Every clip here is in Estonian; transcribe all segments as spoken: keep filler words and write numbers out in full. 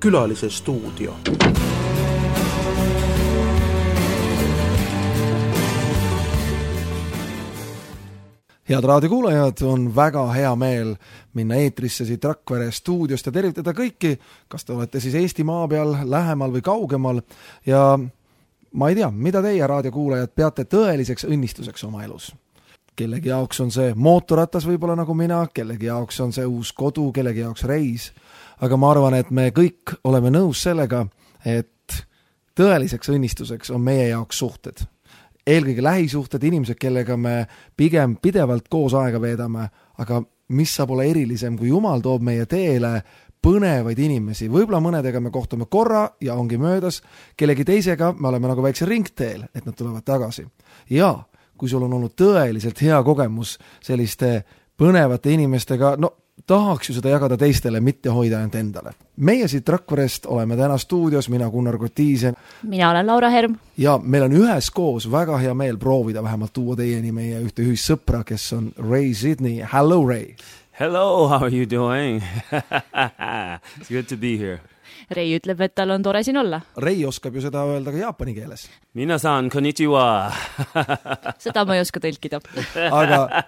Külalise stuudio. Head raadiokuulajad, on väga hea meel minna eetrisse siit Rakvere stuudiost ja tervitada kõiki, kas te olete siis Eesti maa peal, lähemal või kaugemal. Ja ma ei tea, mida teie raadiokuulajad peate tõeliseks õnnistuseks oma elus. Kellegi jaoks on see mootorratas võib-olla nagu mina, kellegi jaoks on see uus kodu, kellegi jaoks reis. Aga ma arvan, et me kõik oleme nõus sellega, et tõeliseks õnnistuseks on meie jaoks suhted. Eelkõige lähisuhted, inimesed, kellega me pigem pidevalt koos aega veedame, aga mis saab olla erilisem, kui Jumal toob meie teele põnevaid inimesi. Võib-olla mõnedega me kohtume korra ja ongi möödas, kellegi teisega me oleme nagu väikse ringteel, et nad tulevad tagasi. Ja kui sul on olnud tõeliselt hea kogemus selliste põnevate inimestega, no tahaks ju seda jagada teistele, mitte hoida ainult endale. Meie siit Rakverest oleme täna stuudios, mina Gunnar Kotiisen. Mina olen Laura Herm. Ja meil on ühes koos väga hea meel proovida vähemalt tuua teieni meie ühte ühissõpra, kes on Ray Sidney. Hello, Ray. Hello, how are you doing? It's good to be here. Ray ütleb, et tal on tore siin olla. Ray oskab ju seda öelda ka jaapani keeles. Minasan, konnichiwa. Seda ma ei oska tõlkida. Aga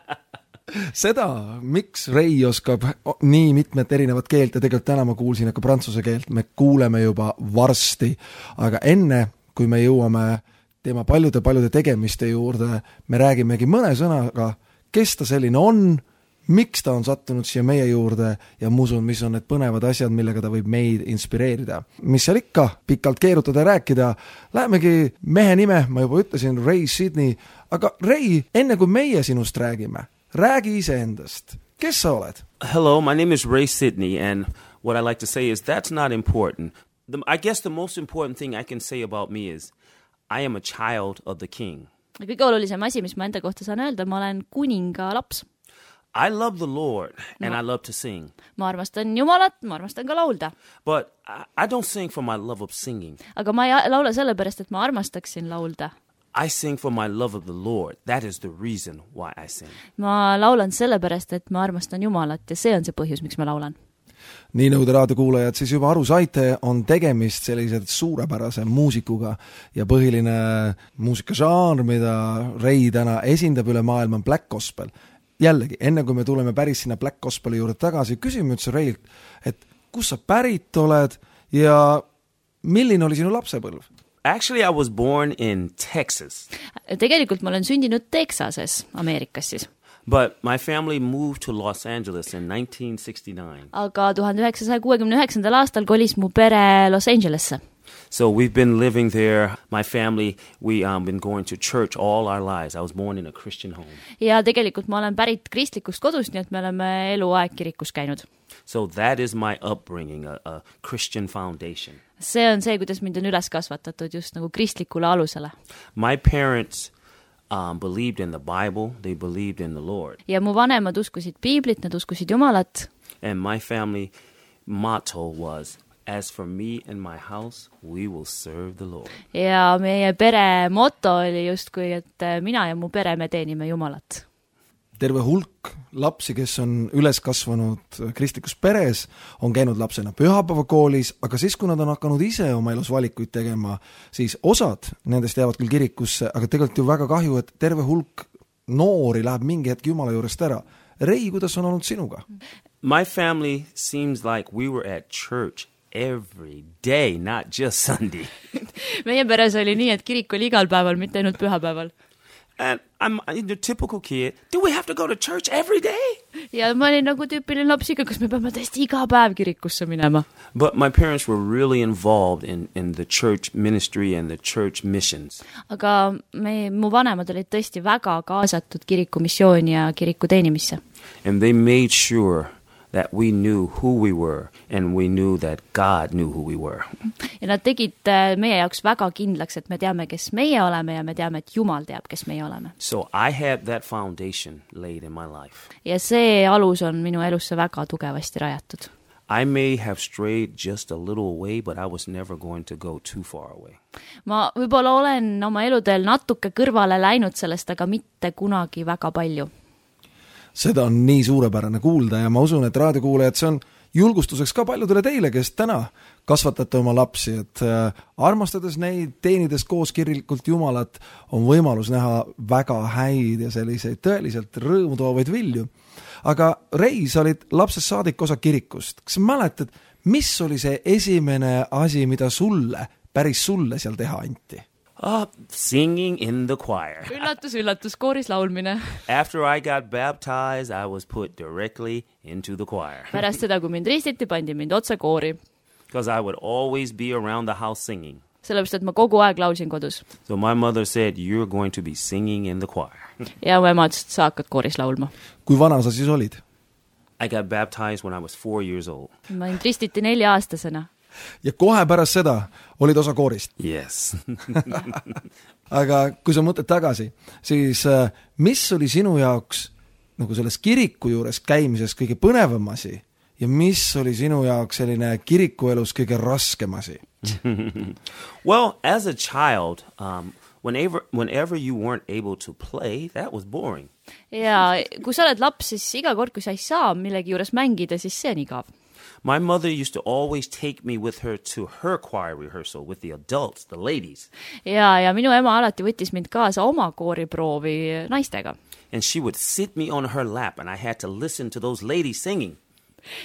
seda, miks Ray oskab nii mitmet erinevat keelt ja tegelikult täna ma kuulsin ka prantsuse keelt, me kuuleme juba varsti. Aga enne, kui me jõuame tema paljude-paljude tegemiste juurde, me räägimegi mõne sõnaga, kes ta selline on, miks ta on sattunud siia meie juurde ja musun, mis on need põnevad asjad, millega ta võib meid inspireerida. Mis seal ikka pikalt keerutada ja rääkida, lähemegi mehe nime, ma juba ütlesin, Ray Sidney, aga Ray, enne kui meie sinust räägime, räägi iseendast. Kes sa oled? Hello, my name is Ray Sidney, and what I like to say is that's not important. The, I guess the most important thing I can say about me is I am a child of the king. Kõige olulisem asi, mis ma enda kohta saan öelda, ma olen kuninga laps. I love the Lord, and no. I love to sing. Ma armastan Jumalat, ma armastan ka laulda. But I, I don't sing for my love of singing. Aga ma ei laula sellepärast, et ma armastaksin laulda. I sing for my love of the Lord. That is the reason why I sing. Ma laulan sellepärast, et ma armastan Jumalat ja see on see põhjus, miks ma laulan. Nii nagu te raadiokuulajad siis juba aru saite, on tegemist sellised suurepärase muusikuga ja põhiline muusikažanr, mida Ray täna esindab üle maailma, on Black Gospel. Jällegi, enne kui me tuleme päris sinna Black Gospeli juurde tagasi, küsime üldse Raylt, et kus sa pärit oled ja milline oli sinu lapsepõlv? Actually, I was born in Texas. Tegelikult ma olen sündinud Texases, Ameerikas siis. But my family moved to Los Angeles in nineteen sixty-nine. Aga tuhande üheksasaja kuuekümne üheksandal aastal kolis mu pere Los Angelesse. So we've been living there. My family, we um been going to church all our lives. I was born in a Christian home. Ja tegelikult ma olen pärit kristlikust kodust, nii et me oleme eluaeg kirikus käinud. So that is my upbringing, a, a Christian foundation. See on see, kuidas mind on üles kasvatatud just nagu kristlikule alusele. My parents um believed in the Bible, they believed in the Lord. Ja mu vanemad uskusid Piiblit, nad uskusid Jumalat. And my family motto was, as for me and my house, we will serve the Lord. Ja meie pere moto oli justkui, et mina ja mu pere me teenime Jumalat. Terve hulk lapsi, kes on üles kasvanud kristlikus peres, on käinud lapsena pühapäevakoolis, aga siis, kui nad on hakanud ise oma elus valikuid tegema, siis osad nendest jäävad küll kirikusse, aga tegelikult ju väga kahju, et terve hulk noori läheb mingi hetk Jumala juurest ära. Ray, kuidas on olnud sinuga? My family seems like we were at church every day, not just Sunday. Meie peres oli nii, et kirik oli igal päeval, mitte ainult pühapäeval. And I'm the typical kid. Do we have to go to church every day? Ja ma olin nagu tüüpiline lapsiga, kas me peame tõesti iga päev kirikusse minema. But my parents were really involved in, in the church ministry and the church missions. Aga me, mu vanemad olid tõesti väga kaasatud kiriku missiooni ja kiriku teenimisse. And they made sure that we knew who we were and we knew that God knew who we were. Ja nad tegid meie jaoks väga kindlaks, et me teame, kes meie oleme ja me teame, et Jumal teab, kes meie oleme. So I had that foundation laid in my life. Ja see alus on minu elusse väga tugevasti rajatud. I may have strayed just a little away, but I was never going to go too far away. Ma võib-olla olen oma eludel natuke kõrvale läinud sellest, aga mitte kunagi väga palju. Seda on nii suurepärane kuulda ja ma usun, et raadiokuulajad, see on julgustuseks ka paljudele teile, kes täna kasvatate oma lapsi, et armastades neid, teenides koos kirelikult Jumalat, on võimalus näha väga häid ja selliseid tõeliselt rõõmu toovaid vilju. Aga Rei, sa olid lapsest saadik osa kirikust. Kas mäletad, mis oli see esimene asi, mida sulle, päris sulle seal teha anti? Uh, singing in the choir. Üllatus, üllatus, kooris laulmine. After I got baptized, I was put directly into the choir. Pärast seda, kui mind ristiti, pandi mind otse koori. Because I would always be around the house singing. Sellepärast, et ma kogu aeg laulsin kodus. So my mother said, you're going to be singing in the choir. Ja mu ema ütles, et sa hakkad kooris laulma. Kui vana sa siis olid? I got baptized when I was four years old. Ma mind ristiti nelja aastasena. Ja kohe pärast seda olid osa koorist. Yes. Aga kui sa mõtled tagasi, siis mis oli sinu jaoks nagu selles kiriku juures käimises kõige põnevam asi ja mis oli sinu jaoks selline kirikuelus kõige raskem asi? Well, as a child, um, whenever, whenever you weren't able to play, that was boring. Ja kui sa oled laps, siis iga kord, kui sa ei saa millegi juures mängida, siis see on igav. My mother used to always take me with her to her choir rehearsal with the adults, the ladies. Ja, ja minu ema alati võttis mind kaasa oma kooriproovi naistega. And she would sit me on her lap and I had to listen to those ladies singing.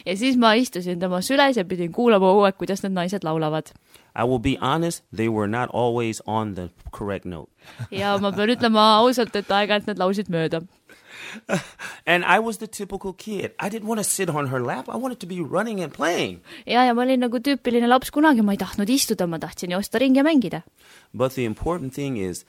Ja siis ma istusin tema süles ja pidin kuulama uued, kuidas need naised laulavad. I will be honest, they were not always on the correct note. Ja ma pean ütlema ausalt, et aeg-ajalt need laulsid mööda. And I was the typical kid. I didn't want to sit on her lap. I wanted to be running and playing. Ja, ja ma olin nagu tüüpiline laps kunagi. Ma ei tahtnud istuda, ma tahtsin joosta ringi ja mängida. But the important thing is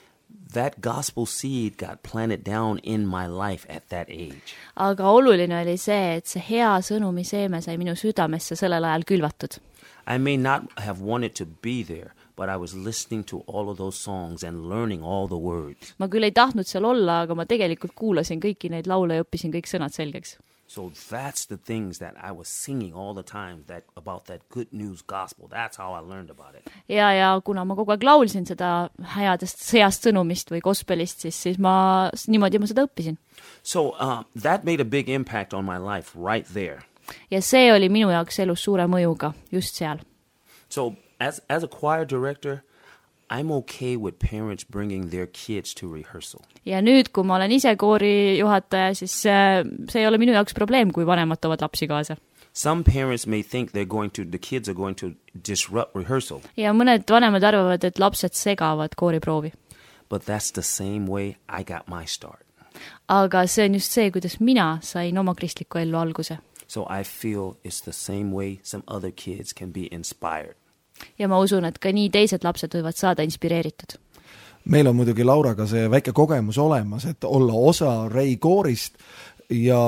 that gospel seed got planted down in my life at that age. Aga oluline oli see, et see hea sõnumi seeme sai minu südamesse sellel ajal külvatud. I may not have wanted to be there, but I was listening to all of those songs and learning all the words. Ma küll ei tahtnud seal olla, aga ma tegelikult kuulasin kõiki neid laule ja õppisin kõik sõnad selgeks. So that's the things that I was singing all the time that, about that good news gospel. That's how I learned about it. Ja, ja kuna ma kogu aeg laulsin seda headest, heast sõnumist või gospelist, siis, siis ma, niimoodi ma seda õppisin. So uh, that made a big impact on my life right there. Ja see oli minu jaoks elus suure mõjuga just seal. So as, as a choir director, I'm okay with parents bringing their kids to rehearsal. Ja nüüd, kui ma olen ise koori juhataja, siis see ei ole minu jaoks probleem, kui vanemad toovad lapsi kaasa. Some parents may think they're going to, the kids are going to disrupt rehearsal. Ja mõned vanemad arvavad, et lapsed segavad kooriproovi. But that's the same way I got my start. Aga see on just see, kuidas mina sain oma kristliku ellu alguse. So I feel it's the same way some other kids can be inspired. Ja ma usun, et ka nii teised lapsed võivad saada inspireeritud. Meil on muidugi Lauraga see väike kogemus olemas, et olla osa Rei koorist ja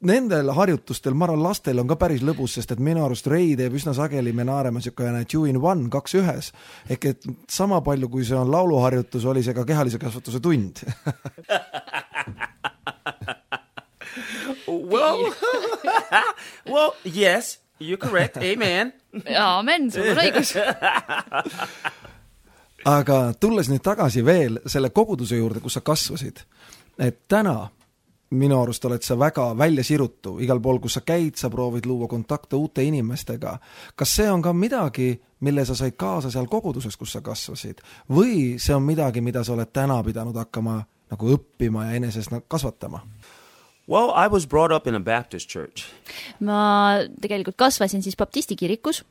nendel harjutustel, ma arvan, lastel on ka päris lõbus, sest et minu arust Rei teeb üsna sageli, me naareme niisugune two in one, kaks ühes. Ehk et sama palju, kui see on lauluharjutus, oli see ka kehalise kasvatuse tund. Well, well, yes, you're correct. Amen. Amen, sul on õigus. Aga tulles nüüd tagasi veel selle koguduse juurde, kus sa kasvasid, et täna minu arust oled sa väga välja sirutu. Igal pool, kus sa käid, sa proovid luua kontakte uute inimestega. Kas see on ka midagi, mille sa said kaasa seal koguduses, kus sa kasvasid? Või see on midagi, mida sa oled täna pidanud hakkama nagu õppima ja enesest kasvatama? Well, I was brought up in a Baptist church. Ma tegelikult kasvasin siis baptisti kirikus.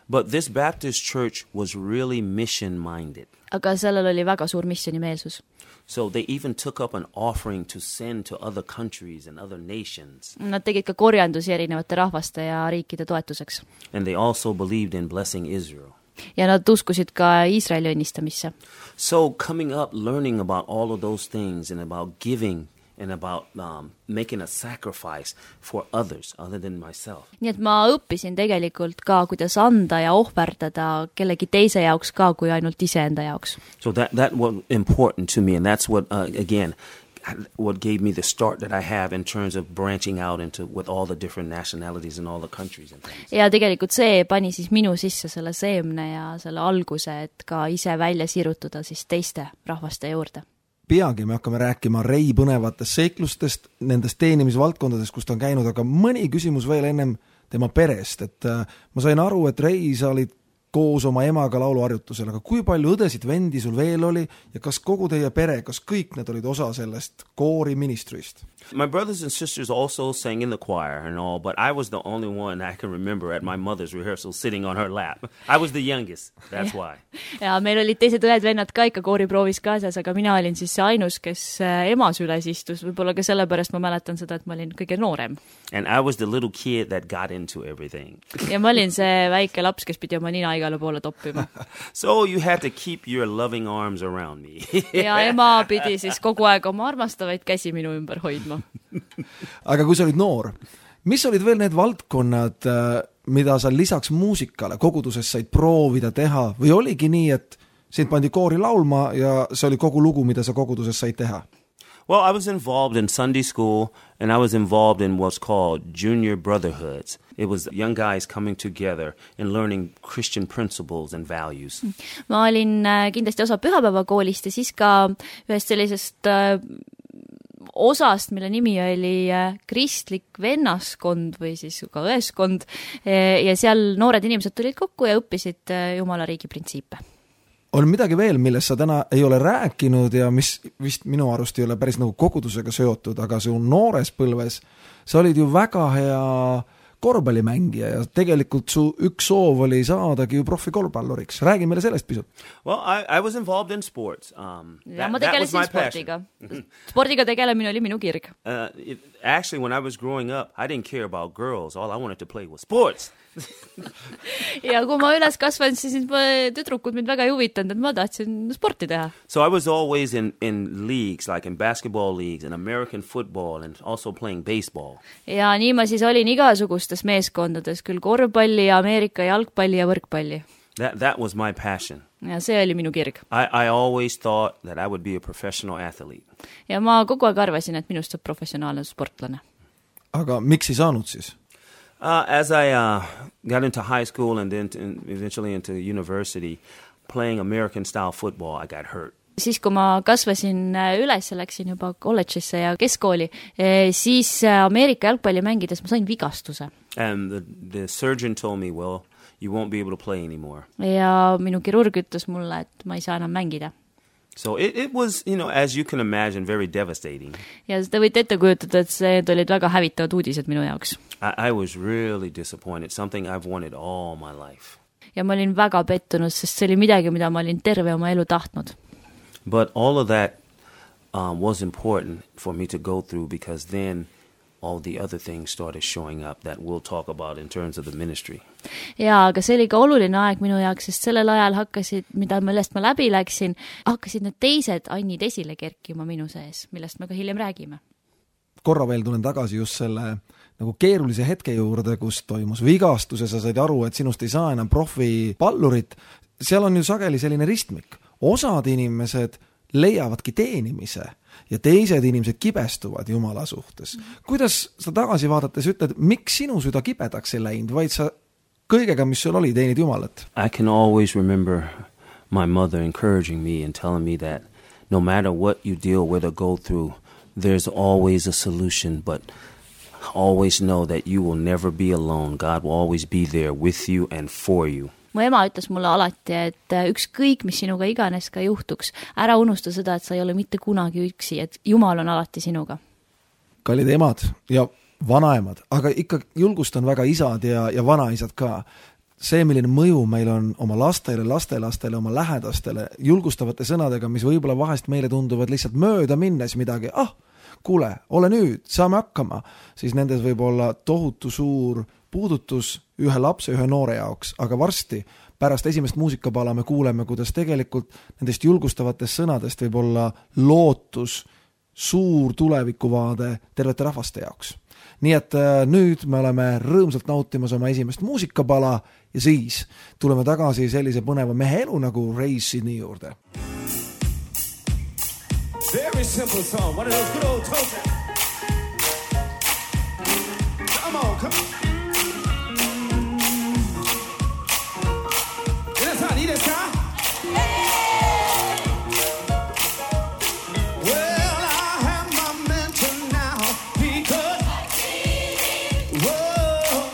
But this Baptist church was really mission-minded. Aga sellel oli väga suur missionimeelsus. So they even took up an offering to send to other countries and other nations. Nad tegid ka korjandusi erinevate rahvaste ja riikide toetuseks. And they also believed in blessing Israel. Ja nad uskusid ka Iisraeli õnnistamisse. So coming up, learning about all of those things and about giving and about um, making a sacrifice for others other than myself. Nii et ma õppisin tegelikult ka, kuidas anda ja ohverdada kellegi teise jaoks ka, kui ainult iseenda jaoks. So that, that was important to me, and that's what, uh, again, what gave me the start that I have in terms of branching out into with all the different nationalities and all the countries and things. Ja tegelikult see pani siis minu sisse selle seemne ja selle alguse, et ka ise välja sirutuda siis teiste rahvaste juurde. Peagi me hakkame rääkima Rei põnevatest seiklustest, nendest teenimisvaldkondadest, kust on käinud, aga mõni küsimus veel ennem tema perest, et ma sain aru, et Ray, sa olid koos oma emaga lauluharjutusel, aga kui palju õdesid vendi sul veel oli ja kas kogu teie pere, kas kõik need olid osa sellest koori ministrist? My brothers and sisters also sang in the choir and all, but I was the only one I can remember at my mother's rehearsal sitting on her lap. I was the youngest, that's why. Ja meil olid teised õed-vennad ka ikka kooriproovis kaasas, aga mina olin siis see ainus, kes ema süles istus, võib-olla ka sellepärast ma mäletan seda, et ma olin kõige noorem. And I was the little kid that got into everything. Ja ma olin see väike laps, kes pidi oma nina igale poole toppima. So you had to keep your loving arms around me. Ja ema pidi siis kogu aeg oma armastavaid käsi minu ümber hoidma. Aga kui sa olid noor, mis olid veel need valdkonnad, mida sa lisaks muusikale koguduses said proovida teha või oligi nii, et sind pandi koori laulma ja see oli kogu lugu, mida sa koguduses said teha? Well, I was involved in Sunday school and I was involved in what's called junior brotherhoods. It was young guys coming together and learning Christian principles and values. Ma olin kindlasti osa pühapäevakoolist ja siis ka ühest sellisest osast, mille nimi oli kristlik vennaskond või siis ka õeskond ja seal noored inimesed tulid kokku ja õppisid Jumala riigi printsiipe. On midagi veel, millest sa täna ei ole rääkinud ja mis vist minu arust ei ole päris nagu kogudusega seotud, aga su noores põlves sa olid ju väga hea korvpallimängija ja tegelikult su üks soov oli saadagi ju profikorvpalluriks. Räägi meile sellest pisut. Well, I, I was involved in sports. Um, ja ma tegelesin spordiga. Spordiga tegelemine oli minu kirg. Uh, it, actually, when I was growing up, I didn't care about girls. All I wanted to play was sports. Ja kui ma üles kasvan, siis tüdrukud mind väga ei huvitanud, et ma tahtsin sporti teha. So I was always in, in leagues, like in basketball leagues and American football and also playing baseball. Ja nii ma siis olin igasugustes meeskondades, küll korvpalli ja Ameerika jalgpalli ja võrkpalli. That, that was my passion. Ja see oli minu kirg. I, I always thought that I would be a professional athlete. Ja ma kogu aeg arvasin, et minust saab professionaalne sportlane. Aga miks ei saanud siis? Uh, as I uh, got into high school and then to, and eventually into university, playing American-style football, I got hurt. Siis kui ma kasvasin üles ja läksin juba kolledžisse ja keskkooli, siis Ameerika jalgpalli mängides ma sain vigastuse. And the, the surgeon told me, well, you won't be able to play anymore. Ja minu kirurg ütles mulle, et ma ei saa enam mängida. So it, it was, you know, as you can imagine, very devastating. Ja te võite ette kujutada, et see olid väga hävitavad uudised minu jaoks. I, I was really disappointed, something I've wanted all my life. Ja ma olin väga pettunud, sest see oli midagi, mida ma olin terve oma elu tahtnud. But all of that um, was important for me to go through because then all the other things started showing up that we'll talk about in terms of the ministry. Ja, aga see oli ka oluline aeg minu jaoks, sest sellel ajal hakkasid, mida millest ma läbi läksin, hakkasid need teised annid esile kerkima minu sees, millest me ka hiljem räägime. Korra veel tulen tagasi just selle nagu keerulise hetke juurde, kus toimus vigastus ja sa said aru, et sinust ei saa enam profipallurit. Seal on ju sageli selline ristmik. Osad inimesed leiavadki teenimise ja teised inimesed kibestuvad Jumala suhtes. Kuidas sa tagasi vaadates ütled, miks sinu süda kibedaks ei läinud, vaid sa kõigega, mis sul oli, teenid Jumalat? I can always remember my mother encouraging me and telling me that no matter what you deal with or go through, there's always a solution, but always know that you will never be alone. God will always be there with you and for you. Mu ema ütles mulle alati, et ükskõik, mis sinuga iganes ka juhtuks, ära unusta seda, et sa ei ole mitte kunagi üksi, et Jumal on alati sinuga. Kallid emad ja vanaemad, aga ikka julgustan väga isad ja, ja vanaisad ka. See, milline mõju meil on oma lastele, lastelastele, oma lähedastele, julgustavate sõnadega, mis võib-olla vahest meile tunduvad lihtsalt mööda minnes midagi, ah, kuule, ole nüüd, saame hakkama, siis nendes võib olla tohutu suur puudutus ühe lapse, ühe noore jaoks, aga varsti pärast esimest muusikapala me kuuleme, kuidas tegelikult nendest julgustavatest sõnadest võib olla lootus, suur tulevikuvaade tervete rahvaste jaoks. Nii et nüüd me oleme rõõmsalt nautimas oma esimest muusikapala ja siis tuleme tagasi sellise põneva mehe elu nagu Ray Sidney juurde. Very simple song, one of those good old tones. Come on, come on. Need this guy? Well, I have my mentor now because whoa,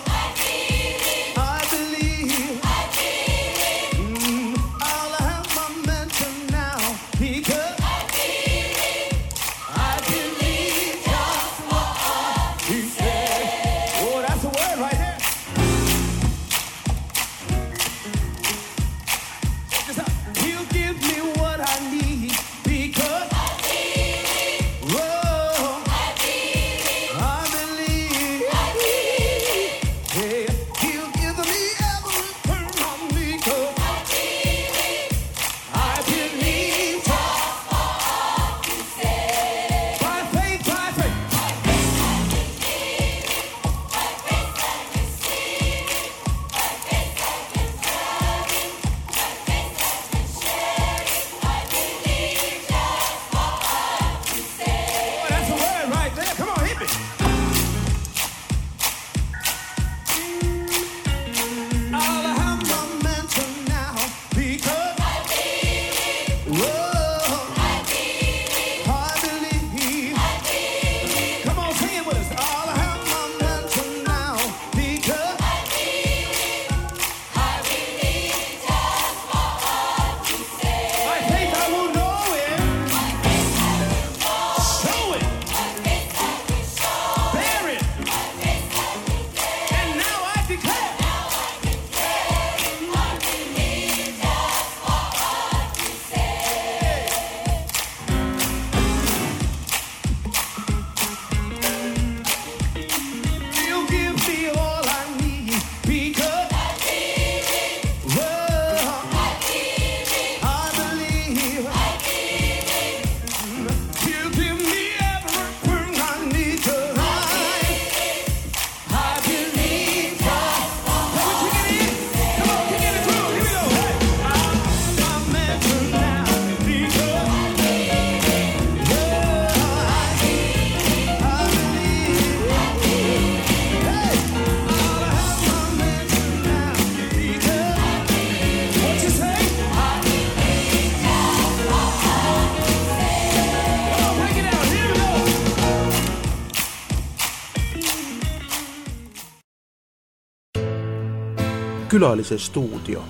külalise stuudio.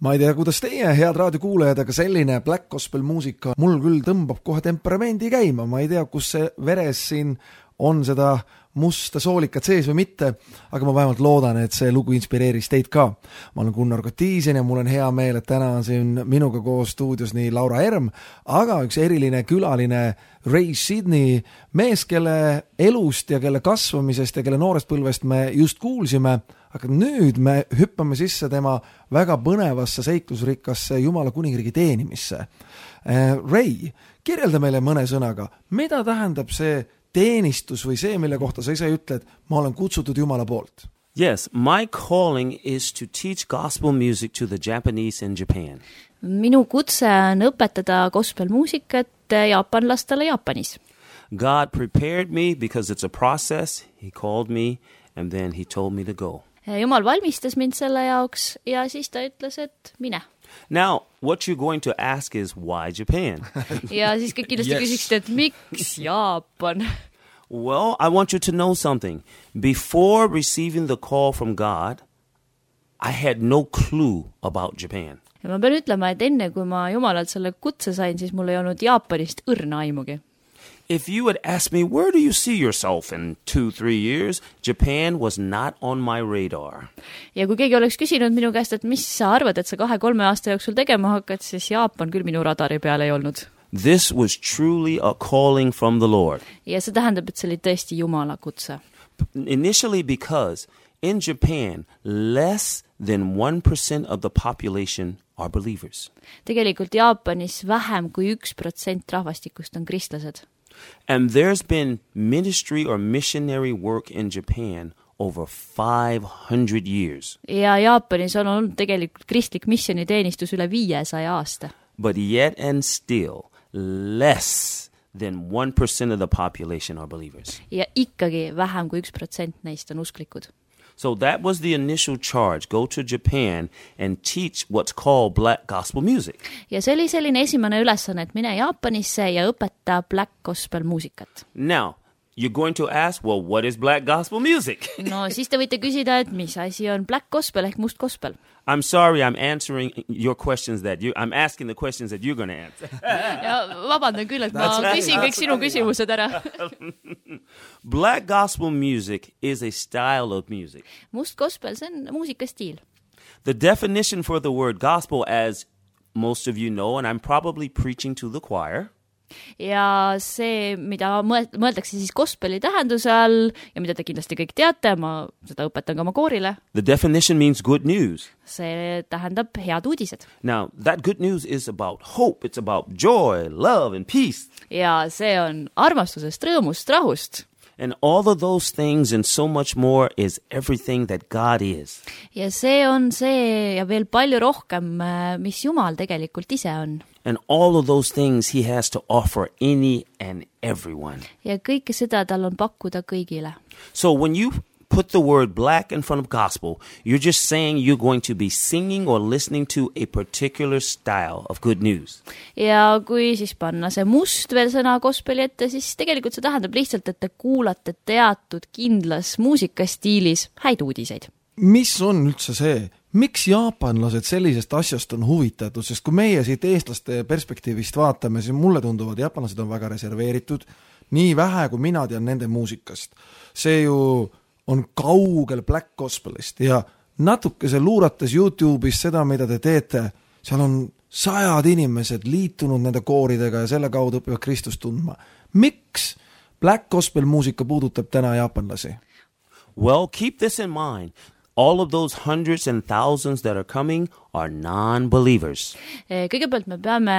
Ma ei tea, kuidas teie, head raadiokuulajad, aga selline black gospel muusika mul küll tõmbab kohe temperamendi käima. Ma ei tea, kus see veres siin on seda musta soolikat sees või mitte, aga ma vähemalt loodan, et see lugu inspireeris teid ka. Ma olen Gunnar Kotiisen ja mul on hea meel, et täna on siin minuga koos stuudios nii Laura Erm, aga üks eriline külaline Ray Sidney, mees, kelle elust ja kelle kasvamisest ja kelle noorest põlvest me just kuulsime, aga nüüd me hüppame sisse tema väga põnevasse seiklusrikkasse Jumala kuningriigi teenimisse. Ray, kirjelda meile mõne sõnaga, mida tähendab see teenistus või see, mille kohta sa ise ütled, ma olen kutsutud Jumala poolt? Yes, my calling is to teach gospel music to the Japanese in Japan. Minu kutse on õpetada gospelmuusikat jaapanlastele Jaapanis. God prepared me because it's a process. He called me and then he told me to go. Jumal valmistas mind selle jaoks ja siis ta ütles, et mine. Now, what you're going to ask is, why Japan? ja siis kõik kindlasti yes. küsiks, et miks Jaapan? Well, I want you to know something. Before receiving the call from God, I had no clue about Japan. Ja ma pean ütlema, et enne kui ma Jumalalt selle kutse sain, siis mul ei olnud Jaapanist õrna aimugi. If you would ask me, where do you see yourself in two, three years? Japan was not on my radar. Ja kui keegi oleks küsinud minu käest, et mis sa arvad, et sa kahe, kolme aasta jooksul tegema hakkad, siis Jaapan küll minu radari peal ei olnud. This was truly a calling from the Lord. Ja see tähendab, et see oli tõesti Jumala kutse. Initially because in Japan, less than one percent of the population are believers. Tegelikult Jaapanis vähem kui üks protsent rahvastikust on kristlased. And there's been ministry or missionary work in Japan over five hundred years. Ja Jaapanis on olnud tegelikult kristlik missioniteenistus üle viiesaja aasta. But yet and still, less than one percent of the population are believers. Ja ikkagi vähem kui üks protsent neist on usklikud. So that was the initial charge. Go to Japan and teach what's called black gospel music. Ja see oli selline esimene ülesanne, et mine Jaapanisse ja õpeta black gospel muusikat. Now, you're going to ask, well, what is black gospel music? No, siis te võite küsida, et mis asi on black gospel ehk must gospel. I'm sorry, I'm answering your questions that you, I'm asking the questions that you're going to answer. ja vabandan küll, et ma küsin kõik sinu küsimused ära. Black gospel music is a style of music. Must gospel, see on muusikastiil. The definition for the word gospel, as most of you know, and I'm probably preaching to the choir. Ja see, mida mõeldakse siis gospeli tähenduse all ja mida te kindlasti kõik teate, ma seda õpetan ka oma koorile. The definition means good news. See tähendab head uudised. Now, that good news is about hope. It's about joy, love and peace. Ja see on armastusest, rõõmust, rahust. And all of those things and so much more is everything that God is. Ja see on see ja veel palju rohkem, mis Jumal tegelikult ise on. And all of those things he has to offer any and everyone. Ja kõike seda tal on pakkuda kõigile. So when you put the word black in front of gospel, you're just saying you're going to be singing or listening to a particular style of good news. Ja kui siis panna see must veel sõna gospeli ette, siis tegelikult see tähendab lihtsalt, et te kuulate teatud kindlas muusikastiilis häid uudiseid. Mis on üldse see? Miks jaapanlased sellisest asjast on huvitatud? Sest kui meie siit eestlaste perspektiivist vaatame, siis mulle tunduvad, jaapanlased on väga reserveeritud, nii vähe kui mina tean nende muusikast. See ju on kaugel black gospelist ja natukese luurates YouTube'is seda, mida te teete, seal on sajad inimesed liitunud nende kooridega ja selle kaudu õpivad Kristust tundma. Miks black gospel muusika puudutab täna jaapanlasi? Well, keep this in mind. All of those hundreds and thousands that are coming are non-believers. Kõigepealt me peame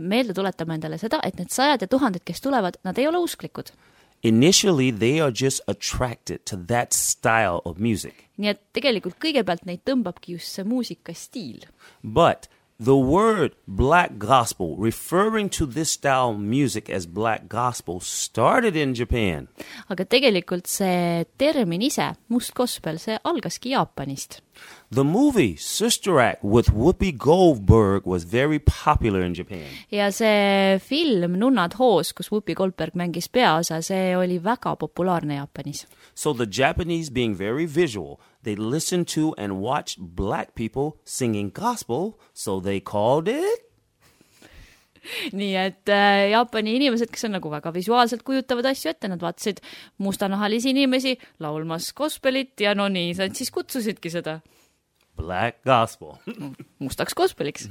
meelde tuletama endale seda, et need sajad ja tuhanded, kes tulevad, nad ei ole usklikud. Initially, they are just attracted to that style of music. Nii et tegelikult kõigepealt neid tõmbabki just see muusikastiil. But the word black gospel, referring to this style of music as black gospel, started in Japan. Aga tegelikult see termin ise, must gospel, see algaski Jaapanist. The movie Sister Act with Whoopi Goldberg was very popular in Japan. Ja see film Nunnad hoos, kus Whoopi Goldberg mängis peaosa, see oli väga populaarne Jaapanis. So the Japanese, being very visual, they listened to and watched black people singing gospel, so they called it... Nii et äh, Jaapani inimesed, kes on nagu väga visuaalselt kujutavad asju ette, nad vaatasid mustanahalisi inimesi laulmas gospelit ja no nii, nad siis kutsusidki seda Black gospel. mustaks gospeliks.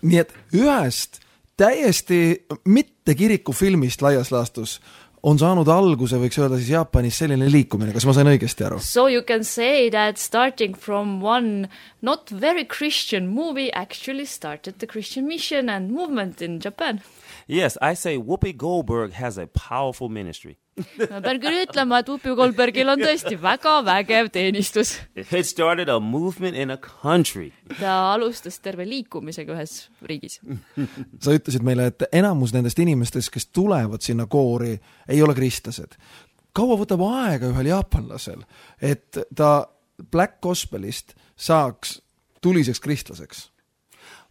Nii et ühest täiesti mitte kirikufilmist laias laastus on saanud alguse, võiks öelda siis Jaapanis selline liikumine, kas ma sain õigesti aru? So you can say that starting from one not very Christian movie actually started the Christian mission and movement in Japan. Yes, I say Whoopi Goldberg has a powerful ministry. Ma pean küll ütlema, et Whoopi Goldbergil on tõesti väga vägev teenistus. It started a movement in a country. Ta alustas terve liikumisega ühes riigis. Sa ütlesid meile, et enamus nendest inimestest, kes tulevad sinna koori, ei ole kristlased. Kaua võtab aega ühel jaapanlasel, et ta Black Gospelist saaks tuliseks kristlaseks?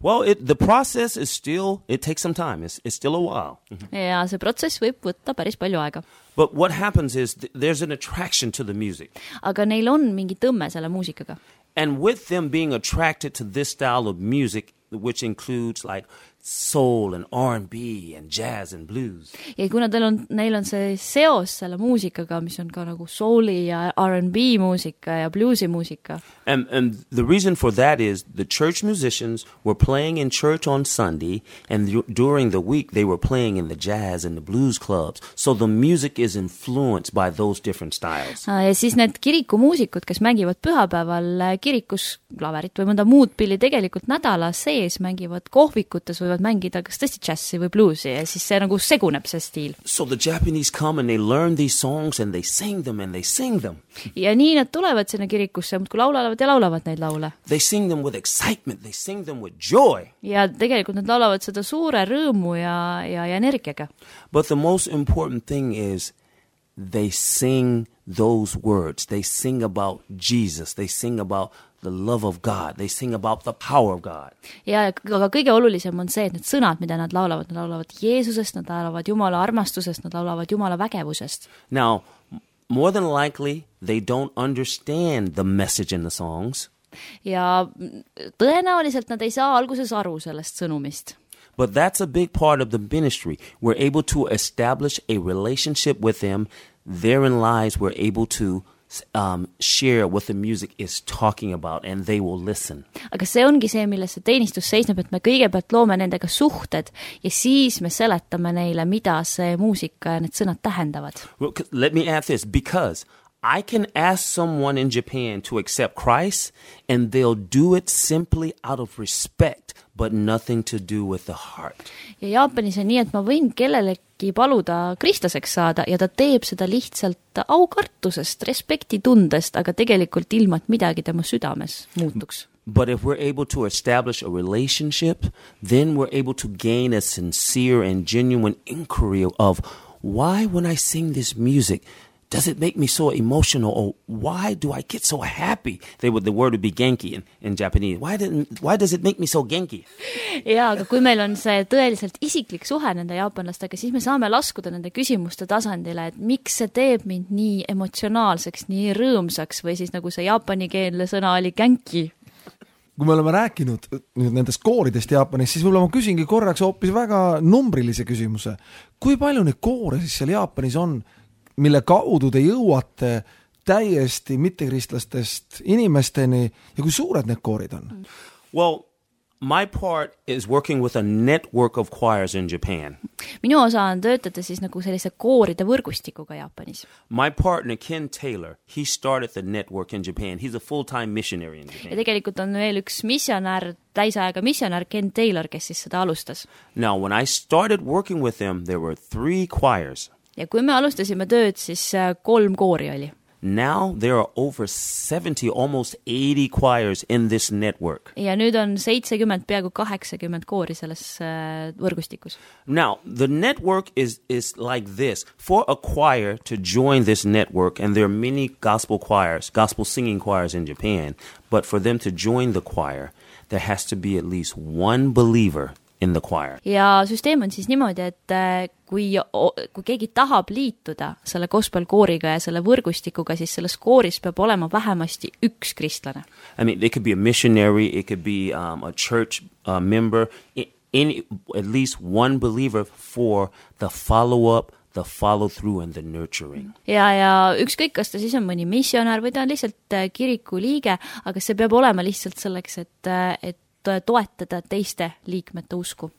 Well, it, the process is still, it takes some time. It's, it's still a while. Ja see protsess võib võtta päris palju aega. But what happens is th- there's an attraction to the music. Aga neil on mingi tõmme selle muusikaga. And with them being attracted to this style of music, which includes like soul and R and B and jazz and blues. Ja kuna neil on, neil on see seos selle muusikaga, mis on ka nagu souli ja R and B muusika ja bluesi muusika. And, and the reason for that is the church musicians were playing in church on Sunday, and th- during the week they were playing in the jazz and the blues clubs. So the music is influenced by those different styles. Ja siis need kirikumuusikud, kes mängivad pühapäeval kirikus klaverit või mõnda muud pilli, tegelikult nädala sees mängivad kohvikutes võivad mängida kas tõesti džassi või bluesi ja siis see nagu seguneb see stiil. So the Japanese come and they learn these songs and they sing them and they sing them. Ja nii nad tulevad sinna kirikusse, muudkui laulavad ja laulavad neid laule. They sing them with excitement, they sing them with joy. Ja tegelikult nad laulavad seda suure rõõmu ja, ja, ja energiaga. But the most important thing is they sing those words. They sing about Jesus. They sing about the love of God. They sing about the power of God. Ja aga kõige olulisem on see, et need sõnad, mida nad laulavad, nad laulavad Jeesusest, nad laulavad Jumala armastusest, nad laulavad Jumala vägevusest. Now, more than likely, they don't understand the message in the songs. Ja tõenäoliselt nad ei saa alguses aru sellest sõnumist. But that's a big part of the ministry. We're able to establish a relationship with them. Therein lies we're able to um, share what the music is talking about, and they will listen. Aga see ongi see, milles see teenistus seisneb, et me kõigepealt loome nendega suhted ja siis me seletame neile, mida see muusika ja need sõnad tähendavad. Well, let me add this, because I can ask someone in Japan to accept Christ, and they'll do it simply out of respect, but nothing to do with the heart. Ja Jaapanis on nii, et ma võin kellelegi paluda kristlaseks saada ja ta teeb seda lihtsalt aukartusest, respektitundest, aga tegelikult ilma, et midagi tema südames muutuks. But if we're able to establish a relationship, then we're able to gain a sincere and genuine inquiry of why when I sing this music, does it make me so emotional, or why do I get so happy? They would, the word would be genki in, in Japanese. Why, didn't, why does it make me so genki? Ja, aga kui meil on see tõeliselt isiklik suhe nende jaapanlastega, siis me saame laskuda nende küsimuste tasandile, et miks see teeb mind nii emotsionaalseks, nii rõõmsaks, või siis nagu see jaapanikeelne sõna oli genki. Kui me oleme rääkinud nendest kooridest Jaapanis, siis võib-olla ma küsingi korraks hoopis väga numbrilise küsimuse. Kui palju neid koore siis seal Jaapanis on, mille kaudu te jõuate täiesti mittekristlastest inimesteni ja kui suured need koorid on? Well, my part is working with a network of choirs in Japan. Minu osa on töötada siis nagu sellise kooride võrgustikuga Jaapanis. My partner, Ken Taylor, he started the network in Japan. He's a full-time missionary in Japan. Ja tegelikult on veel üks missionär, täisajaga missionär Ken Taylor, kes siis seda alustas. Now, when I started working with them, there were three choirs. Ja kui me alustasime tööd, siis kolm koori oli. Now there are over seventy, almost eighty choirs in this network. Ja nüüd on seitsekümmend, peaaegu kaheksakümmend koori selles äh, võrgustikus. Now, the network is, is like this. For a choir to join this network, and there are many gospel choirs, gospel singing choirs in Japan, but for them to join the choir, there has to be at least one believer in the choir. Ja süsteem on siis niimoodi, et kui, kui keegi tahab liituda selle gospel kooriga ja selle võrgustikuga, siis selles kooris peab olema vähemasti üks kristlane. I mean, it could be a missionary, it could be um, a church uh, member, any, at least one believer for the follow-up, the follow-through and the nurturing. Ja, ja ükskõik, kas ta siis on mõni missionär või ta on lihtsalt kiriku liige, aga see peab olema lihtsalt selleks, et, et toetada teiste liikmete usku.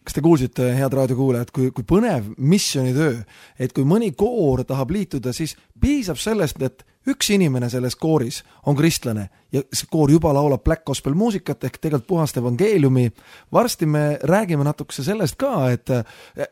Kas te kuulsite, head raadiokuulajad, kui, kui põnev missionitöö, et kui mõni koor tahab liituda, siis piisab sellest, et üks inimene selles kooris on kristlane ja see koor juba laulab black gospel muusikat ehk tegelikult puhast evangeeliumi. Varsti me räägime natukese sellest ka, et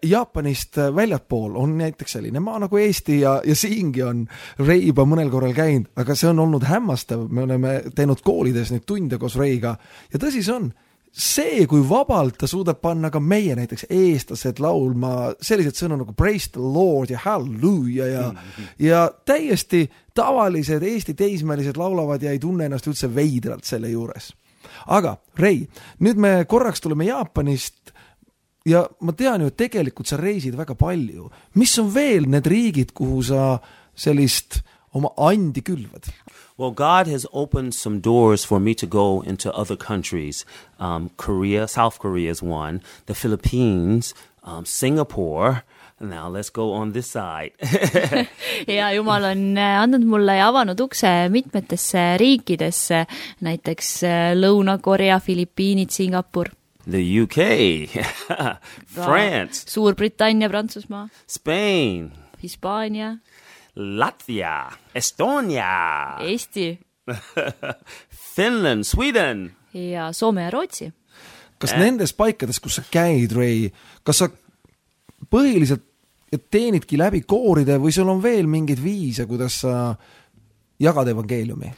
Jaapanist väljatpool on näiteks selline maa nagu Eesti ja, ja siingi on Rei juba mõnel korral käinud, aga see on olnud hämmastav. Me oleme teinud koolides neid tunde koos Reiga ja tõsi see on. See, kui vabalt ta suudab panna ka meie näiteks eestlased laulma sellised sõnu nagu praise the Lord ja hallelujah ja, mm-hmm. ja täiesti tavalised Eesti teismelised laulavad ja ei tunne ennast üldse veidralt selle juures. Aga Rei, nüüd me korraks tuleme Jaapanist ja ma tean ju, et tegelikult sa reisid väga palju. Mis on veel need riigid, kuhu sa sellist oma andi külvad? Well, God has opened some doors for me to go into other countries. Um, Korea, South Korea is one. The Philippines, um, Singapore. Now let's go on this side. Ja Jumal on andnud mulle ja avanud ukse mitmetesse riikidesse, näiteks Lõuna-Korea, Filipiinid, Singapur. The U K, France, Suurbritannia, Prantsusmaa, Spain, Hispaania, Latvia, Estonia, Eesti, Finland, Sweden ja Soome ja Rootsi. Kas äh? nendes paikades, kus sa käid, Rei, kas sa põhiliselt teenidki läbi kooride või sul on veel mingid viise, kuidas sa jagad evangeeliumi?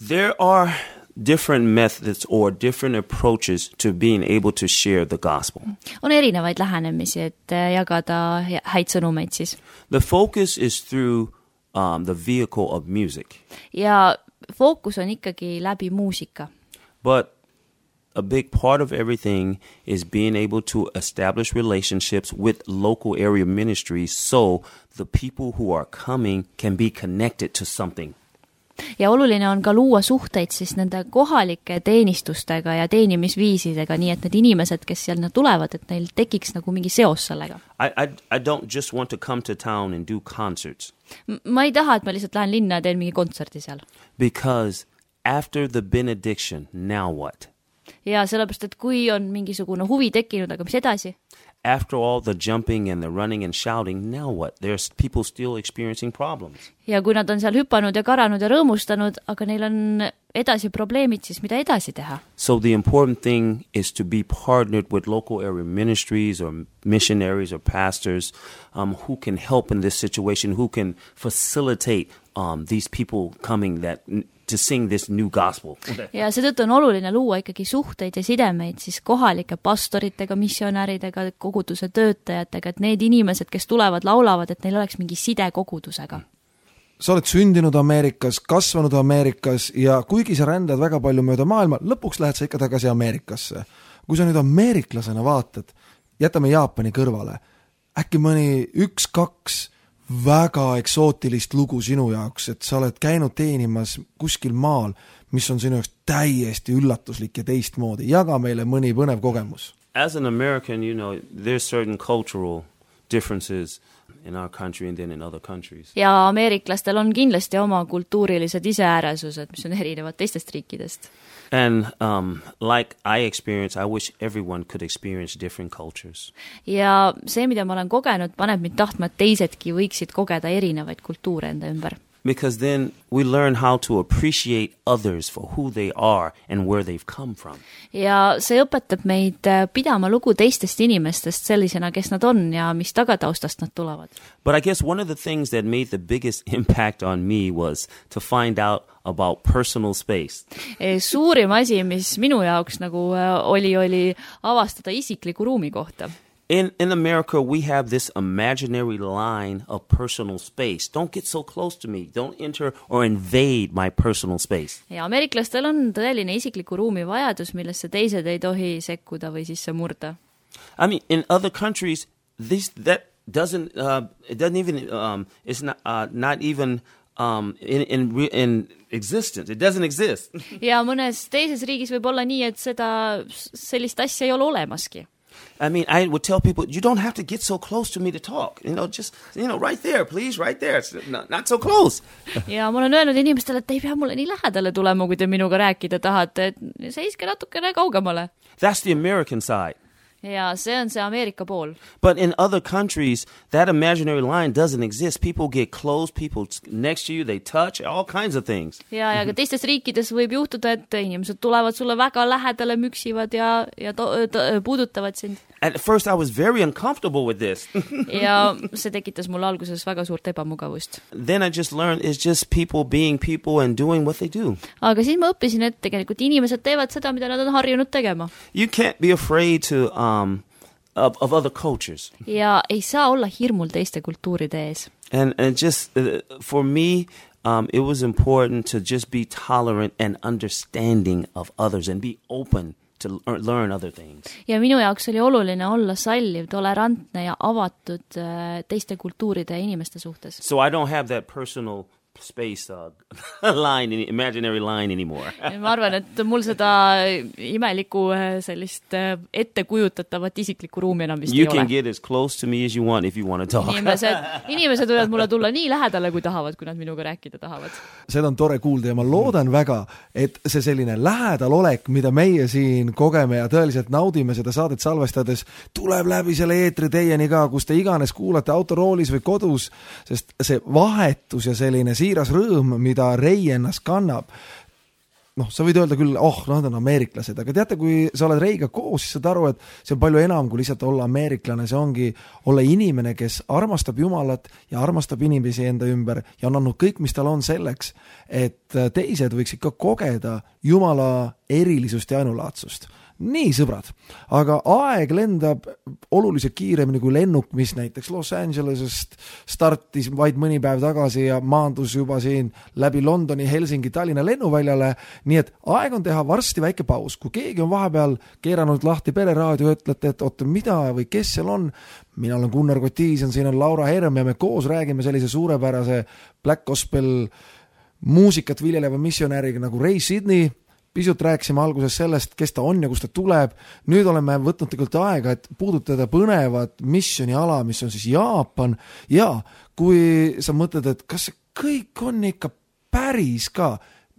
There are different methods or different approaches to being able to share the gospel. On erinevaid lähenemisi, et jagada häid sõnumeid siis. The focus is through um, the vehicle of music. Ja fookus on ikkagi läbi muusika. But a big part of everything is being able to establish relationships with local area ministries so the people who are coming can be connected to something. Ja oluline on ka luua suhteid siis nende kohalike teenistustega ja teenimisviisidega, nii et need inimesed, kes seal tulevad, et neil tekiks nagu mingi seos sellega. I, I, I don't just want to come to town and do concerts. Ma ei taha, et ma lihtsalt lähen linna ja teen mingi kontserti seal. Because after the benediction, now what? Ja sellepärast, et kui on mingisugune huvi tekkinud, aga mis edasi? After all the jumping and the running and shouting, now what? There's people still experiencing problems. Ja kui nad on seal hüpanud ja karanud ja rõõmustanud, aga neil on edasi probleemid, siis mida edasi teha? So the important thing is to be partnered with local area ministries or missionaries or pastors um, who can help in this situation, who can facilitate um, these people coming that to sing this new gospel. Ja seetõttu on oluline luua ikkagi suhteid ja sidemeid siis kohalike pastoritega, missionäridega, koguduse töötajatega, et need inimesed, kes tulevad, laulavad, et neil oleks mingi side kogudusega. Sa oled sündinud Ameerikas, kasvanud Ameerikas ja kuigi sa rändad väga palju mööda maailma, lõpuks lähed sa ikka tagasi Ameerikasse. Kui sa nüüd ameeriklasena vaatad, jätame Jaapani kõrvale, äkki mõni üks, kaks väga eksootilist lugu sinu jaoks, et sa oled käinud teenimas kuskil maal, mis on sinu jaoks täiesti üllatuslik ja teistmoodi. Jaga meile mõni põnev kogemus. As an American, you know, there's certain cultural differences in our country and then in other countries. Ja ameeriklastel on kindlasti oma kultuurilised iseääresused, mis on erinevad teistest riikidest. And um, like I experience, I wish everyone could experience different cultures. Ja see, mida ma olen kogenud, paneb mind tahtma, et teisedki võiksid kogeda erinevaid kultuure enda ümber. because then we learn how to appreciate others for who they are and where they've come from. Ja see õpetab meid pidama lugu teistest inimestest sellisena, kes nad on ja mis tagataustast nad tulevad. But I guess one of the things that made the biggest impact on me was to find out about personal space. Suurim asi, mis minu jaoks nagu oli, oli avastada isikliku ruumi kohta. In, in America, we have this imaginary line of personal space. Don't get so close to me. Don't enter or invade my personal space. Ja ameeriklastel on tõeline isikliku ruumi vajadus, millesse teised ei tohi sekkuda või sisse murda. I mean, in other countries, this that doesn't uh, it doesn't even um, it's not uh, not even um, in in in existence. It doesn't exist. Ja mõnes teises riigis võib olla nii, et seda sellist asja ei ole olemaski. I mean, I would tell people, you don't have to get so close to me to talk. You know, just, you know, right there, please, right there. It's not, not so close. Ja ma olen öelnud inimestele, et ei pea mulle nii lähedale tulema, kui te minuga rääkida tahate, et seiske natukene kaugemale. That's the American side. Ja see on see Ameerika pool. But in other countries, that imaginary line doesn't exist. People get close, people next to you, they touch, all kinds of things. Ja, ja ka teistes riikides võib juhtuda, et inimesed tulevad sulle väga lähedale, müksivad ja, ja to, to, puudutavad sind. At first I was very uncomfortable with this. Ja see tekitas mulle alguses väga suurt ebamugavust. Then I just learned it's just people being people and doing what they do. Aga siis ma õppisin, et tegelikult inimesed teevad seda, mida nad on harjunud tegema. You can't be afraid to um of, of other cultures. Ja ei saa olla hirmul teiste kultuuride ees. And and just uh, for me um it was important to just be tolerant and understanding of others and be open to learn other things. Ja minu jaoks oli oluline olla salliv, tolerantne ja avatud teiste kultuuride ja inimeste suhtes. So I don't have that personal space uh, line, imaginary line anymore. Ma arvan, et mul seda imelikku sellist ettekujutatavat isiklikku ruumi enam vist you ei ole. You can get as close to me as you want if you want to talk. Inimesed, inimesed võivad mulle tulla nii lähedale, kui tahavad, kui nad minuga rääkida tahavad. Seda on tore kuulda ja ma loodan väga, et see selline lähedalolek, mida meie siin kogeme ja tõeliselt naudime seda saadet salvestades, tuleb läbi selle eetri teieni ka, kus te iganes kuulate autoroolis või kodus, sest see vahetus ja selline siiras rõõm, mida Rei ennast kannab. Noh, sa võid öelda küll, oh, nad on ameeriklased, aga teate, kui sa oled Reiga koos, siis saad aru, et see on palju enam kui lihtsalt olla ameeriklane, see ongi olla inimene, kes armastab Jumalat ja armastab inimesi enda ümber ja on andnud kõik, mis tal on selleks, et teised võiks ikka kogeda Jumala erilisust ja ainulaatsust. Nii, sõbrad, aga aeg lendab oluliselt kiiremini kui lennuk, mis näiteks Los Angelesest startis vaid mõni päev tagasi ja maandus juba siin läbi Londoni, Helsingi, Tallinna lennuväljale, nii et aeg on teha varsti väike paus. Kui keegi on vahepeal keeranud lahti pereraadio, ütlete, et oota, mida või kes seal on, mina olen Gunnar Kotiisen, siin on Laura Herm ja me koos räägime sellise suurepärase Black Gospel muusikat viljeleva missionääriga nagu Ray Sidney. Pisut rääkisime alguses sellest, kes ta on ja kust ta tuleb. Nüüd oleme võtnud tegelikult aega, et puudutada põnevat missioniala, mis on siis Jaapan. Ja kui sa mõtled, et kas see kõik on ikka päris ka,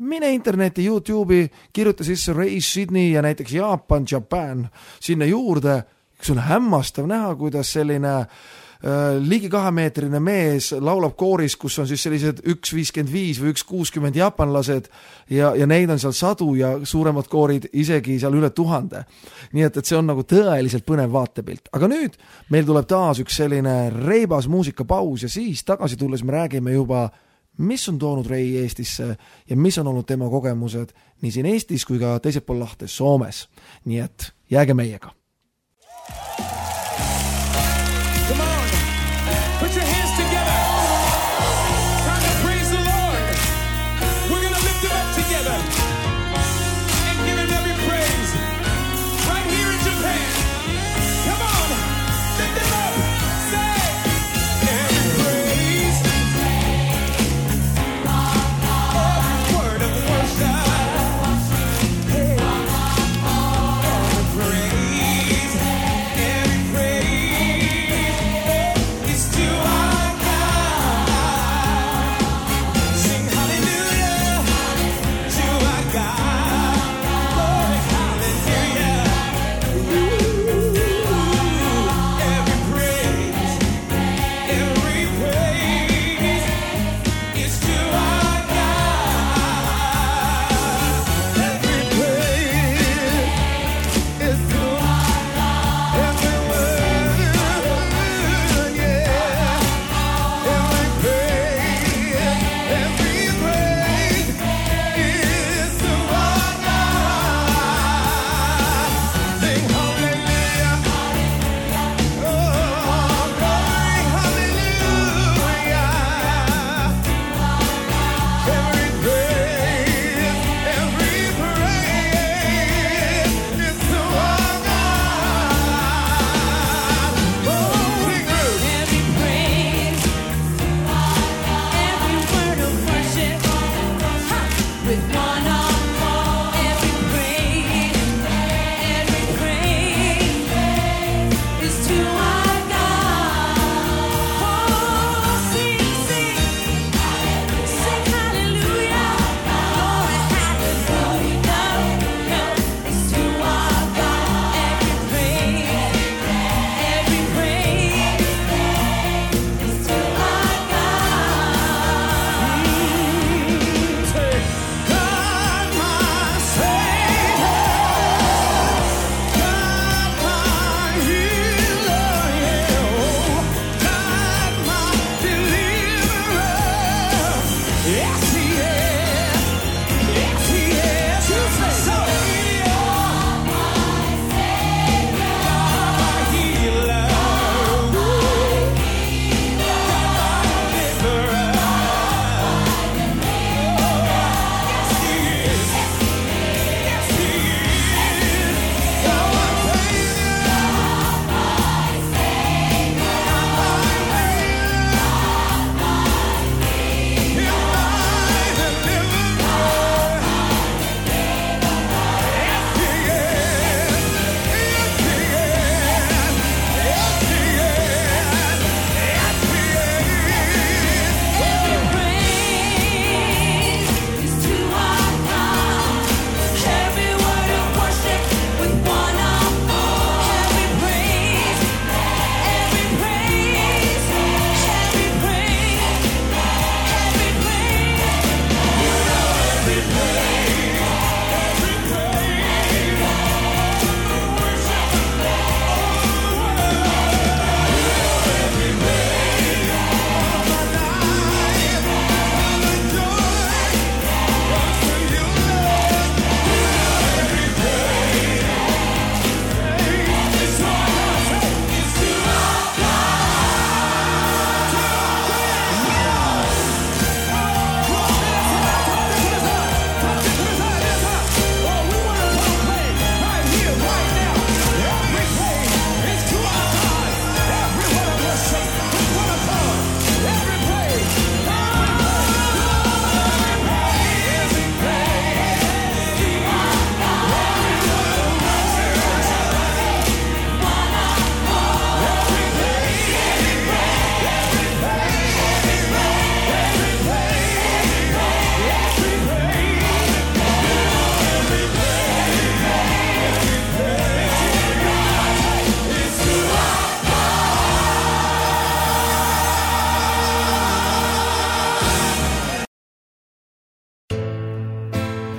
mine interneti, YouTube'i, kirjuta sisse Ray Sidney ja näiteks Jaapan, Japan sinna juurde. See on hämmastav näha, kuidas selline ligi kahemeetrine mees laulab kooris, kus on siis sellised üks viiskümmend viis või üks kuuskümmend jaapanlased ja, ja neid on seal sadu ja suuremad koorid isegi seal üle tuhande. Nii et, et see on nagu tõeliselt põnev vaatepilt. Aga nüüd meil tuleb taas üks selline reibas muusikapaus ja siis tagasi tulles me räägime juba, mis on toonud Rei Eestisse ja mis on olnud tema kogemused nii siin Eestis kui ka teisel pool lahte Soomes. Nii et jääge meiega. Yeah.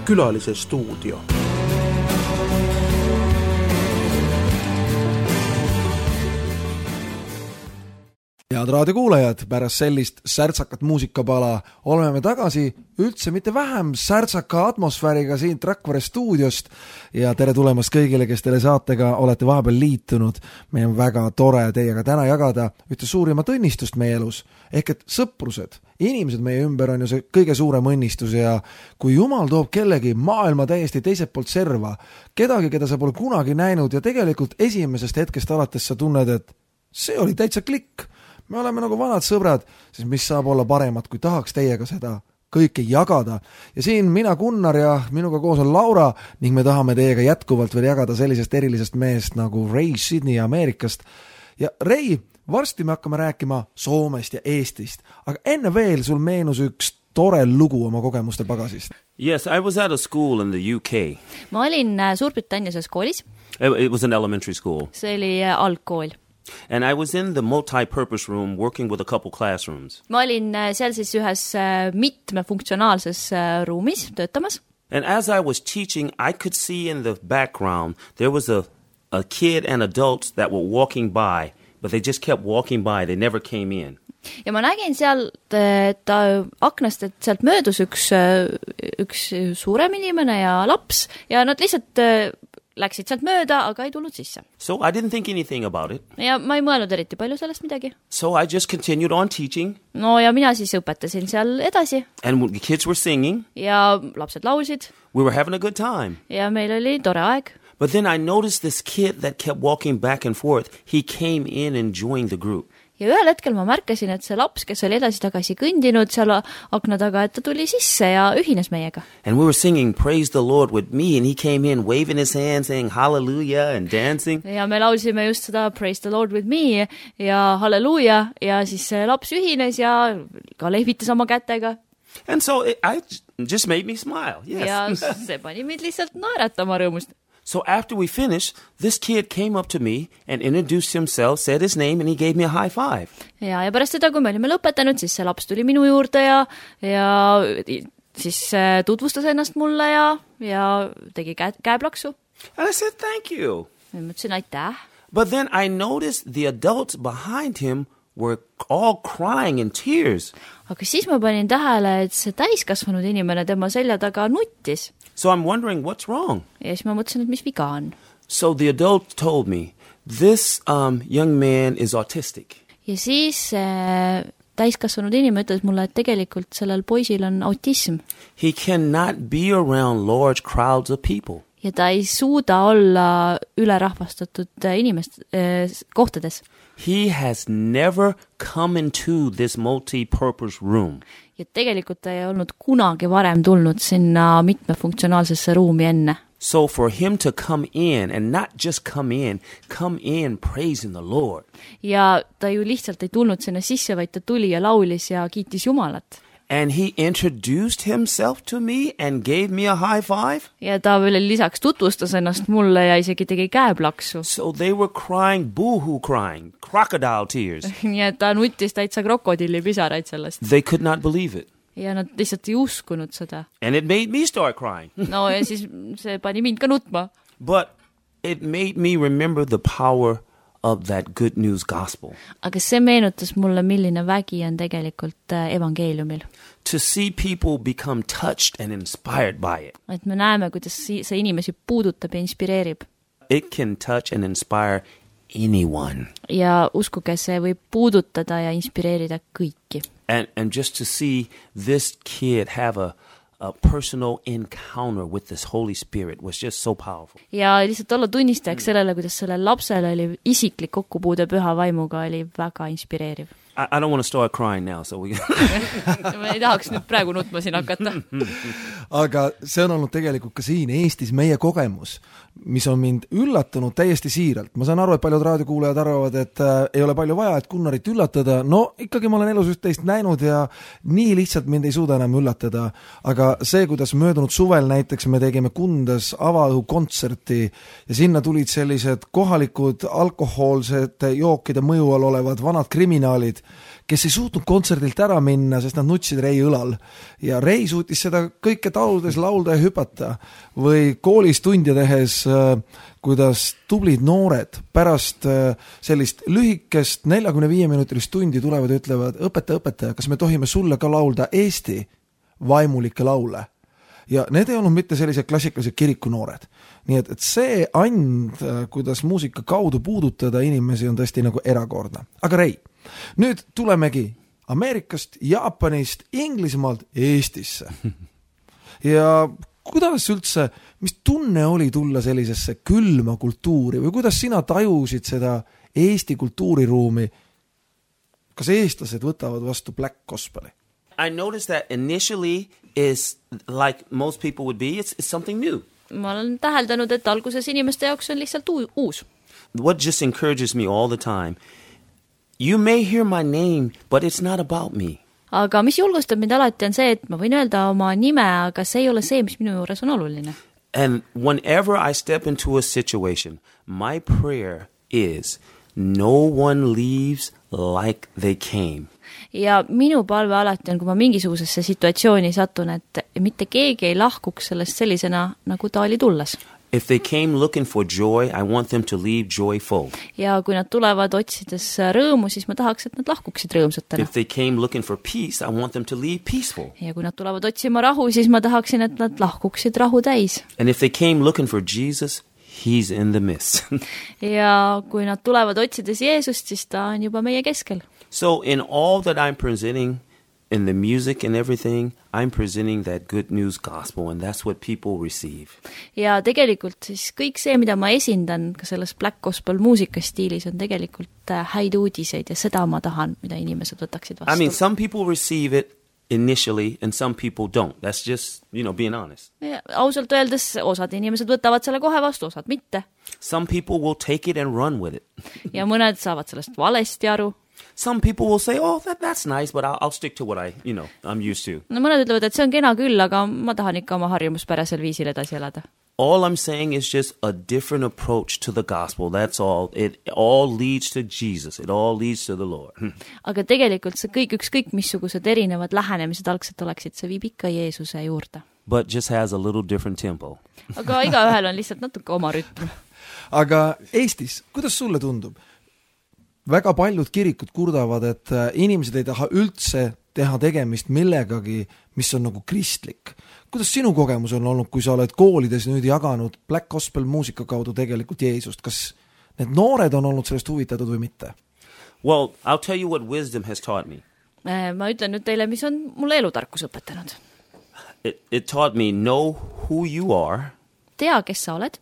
külalise stuudio. Head raadiokuulajad, pärast sellist särtsakat muusikapala oleme me tagasi üldse mitte vähem särtsaka atmosfääriga siin Rakvere stuudiost ja tere tulemast kõigile, kes teile saatega olete vahepeal liitunud. Meil on väga tore teiega täna jagada ühte suurimat õnnistust meie elus, ehk et sõprused, inimesed meie ümber on ju see kõige suurem õnnistus ja kui Jumal toob kellegi maailma täiesti teiselt poolt serva, kedagi, keda sa pole kunagi näinud ja tegelikult esimesest hetkest alates sa tunned, et see oli täitsa klikk. Me oleme nagu vanad sõbrad, siis mis saab olla paremat, kui tahaks teiega seda kõike jagada. Ja siin mina Gunnar ja minuga koos on Laura ning me tahame teiega jätkuvalt veel jagada sellisest erilisest meest nagu Ray Sidney Ameerikast. Ja Ray, varsti me hakkame rääkima Soomest ja Eestist, aga enne veel sul meenus üks tore lugu oma kogemuste pagasist. Yes, I was at a school in the U K. Ma olin Suurbritannias koolis. It was an elementary school. See oli algkool. And I was in the multi-purpose room working with a couple classrooms. Ma olin seal siis ühes mitmefunktsionaalses ruumis töötamas. And as I was teaching, I could see in the background there was a, a kid and adults that were walking by, but they just kept walking by. They never came in. Ja ma nägin seal ta aknast, et sealt möödus üks, üks suurem inimene ja laps ja nad lihtsalt läksid sealt mööda, aga ei tulnud sisse. So I didn't think anything about it. Ja ma ei mõelnud eriti palju sellest midagi. So I just continued on teaching. No ja mina siis õpetasin seal edasi. And the kids were singing. Ja lapsed laulsid. We were having a good time. Ja meil oli tore aeg. But then I noticed this kid that kept walking back and forth. He came in and joined the group. Ja ühel hetkel ma märkasin, et see laps, kes oli edasi tagasi kõndinud seal akna taga, et ta tuli sisse ja ühines meiega. And we were singing Praise the Lord with me and he came in waving his hand saying hallelujah and dancing. Ja me laulsime just seda Praise the Lord with me ja halleluuja ja siis see laps ühines ja ka lehvitas oma kätega. And so it I just made me smile. Yes. Ja see pani mind lihtsalt naeratama rõõmust. So after we finished, this kid came up to me and introduced himself, said his name, and he gave me a high five. Ja, ja pärast seda, kui me olime lõpetanud, siis see laps tuli minu juurde ja, ja siis tutvustas ennast mulle ja, ja tegi käe, käeplaksu. And I said, thank you. Ja mõtlesin, aitäh. But then I noticed the adults behind him were all crying in tears. Aga siis ma panin tähele, et see täiskasvanud inimene tema selja taga nuttis. So I'm wondering what's wrong. Ja siis ma mõtlesin, et mis viga on. So the adult told me, this um, young man is autistic. Ja siis äh, täiskasvanud inimene ütles mulle, et tegelikult sellel poisil on autism. He cannot be around large crowds of people. Ja ta ei suuda olla ülerahvastatud inimest äh, kohtades. He has never come into this multi-purpose room. Ja tegelikult ta ei olnud kunagi varem tulnud sinna mitmefunktsionaalsesse ruumi enne. So for him to come in and not just come in, come in praising the Lord. Ja ta ju lihtsalt ei tulnud sinna sisse, vaid ta tuli ja laulis ja kiitis Jumalat. And he introduced himself to me and gave me a high five. Ja ta veel lisaks tutvustas ennast mulle ja isegi tegi käeplaksu. So they were crying, boo-hoo crying, crocodile tears. Nii et ta nuttis täitsa krokodilli pisaraid sellest. They could not believe it. Ja nad lihtsalt ei uskunud seda. And it made me start crying. No ja siis see pani mind ka nutma. But it made me remember the power of that good news gospel. Aga see meenutas mulle, milline vägi on tegelikult evangeeliumil. To see people become touched and inspired by it. Et me näeme, kuidas see inimesi puudutab ja inspireerib. It can touch and inspire anyone. Ja uskuge, see võib puudutada ja inspireerida kõiki. And, and just to see this kid have a a personal encounter with this Holy Spirit was just so powerful. Ja lihtsalt olla tunnistajaks sellele, kuidas sellel lapsel oli isiklik kokkupuude püha vaimuga, oli väga inspireeriv. I, I don't want to start crying now, so we ma ei tahaks nüüd praegu nutma siin hakata. Aga see on olnud tegelikult ka siin Eestis meie kogemus, mis on mind üllatanud täiesti siiralt. Ma saan aru, et paljud raadiokuulajad arvavad, et äh, ei ole palju vaja, et Gunnarit üllatada. No ikkagi ma olen elus üht-teist näinud ja nii lihtsalt mind ei suuda enam üllatada. Aga see, kuidas möödunud suvel näiteks me tegime Kundas avaõhukontserti ja sinna tulid sellised kohalikud alkohoolsete jookide mõju all olevad vanad kriminaalid kes ei suutnud kontserdilt ära minna, sest nad nutsid Rei õlal. Ja Rei suutis seda kõike tauludes laulda ja hüpata. Või koolis tundja tehes, kuidas tublid noored pärast sellist lühikest neljakümne viie minutilist tundi tulevad ja ütlevad, õpetaja, õpetaja, kas me tohime sulle ka laulda Eesti vaimulikke laule? Ja need ei olnud mitte sellised klassikalised kirikunoored. Nii et, et see and, kuidas muusika kaudu puudutada inimesi, on tõesti nagu erakordne. Aga Rei, nüüd tulemegi Ameerikast, Jaapanist, Inglismaalt Eestisse. Ja kuidas üldse, mis tunne oli tulla sellisesse külma kultuuri või kuidas sina tajusid seda Eesti kultuuriruumi? Kas eestlased võtavad vastu Black Gospeli? I noticed that initially is like most people would be, it's, it's something new. Ma olen täheldanud, et alguses inimeste jaoks on lihtsalt uus. What just encourages me all the time, you may hear my name, but it's not about me. Aga mis julgustab mind alati on see, et ma võin öelda oma nime, aga see ei ole see, mis minu juures on oluline. And whenever I step into a situation, my prayer is no one leaves like they came. Ja minu palve alati on, kui ma mingisugusesse situatsiooni satun, et mitte keegi ei lahkuks sellest sellisena, nagu ta oli tulles. If they came looking for joy, I want them to leave joyful. Ja kui nad tulevad otsides rõõmu, siis ma tahaks, et nad lahkuksid rõõmsatena. If they came looking for peace, I want them to leave peaceful. Ja kui nad tulevad otsima rahu, siis ma tahaksin, et nad lahkuksid rahu täis. And if they came looking for Jesus, he's in the midst. Ja kui nad tulevad otsides Jeesust, siis ta on juba meie keskel. So in all that I'm presenting, in the music and everything, I'm presenting that good news gospel, and that's what people receive. Ja tegelikult siis kõik see, mida ma esindan ka selles Black Gospel muusikastiilis, on tegelikult häid uudiseid ja seda ma tahan, mida inimesed võtaksid vastu. I mean, some people receive it initially and some people don't. That's just, you know, being honest. Ja, ausalt öeldes osad inimesed võtavad selle kohe vastu, osad mitte. Some people will take it and run with it. Ja mõned saavad sellest valesti aru. Some people will say, oh, that, that's nice, but I'll, I'll stick to what I, you know, I'm used to. No mõned ütlevad, et see on kena küll, aga ma tahan ikka oma harjumuspärasel viisil edasi elada. All I'm saying is just a different approach to the gospel. That's all. It all leads to Jesus. It all leads to the Lord. Aga tegelikult see kõik, ükskõik missugused erinevad lähenemised algselt oleksid, see viib ikka Jeesuse juurde. But just has a little different tempo. Aga igaühel on lihtsalt natuke oma rütm. Aga Eestis, kuidas sulle tundub? Väga paljud kirikud kurdavad, et inimesed ei taha üldse teha tegemist millegagi, mis on nagu kristlik. Kuidas sinu kogemus on olnud, kui sa oled koolides nüüd jaganud Black Gospel muusika kaudu tegelikult Jeesust? Kas need noored on olnud sellest huvitatud või mitte? Well, I'll tell you what wisdom has taught me. Ma ütlen nüüd teile, mis on mulle elutarkus õpetanud. It, it taught me know who you are. Tea, kes sa oled.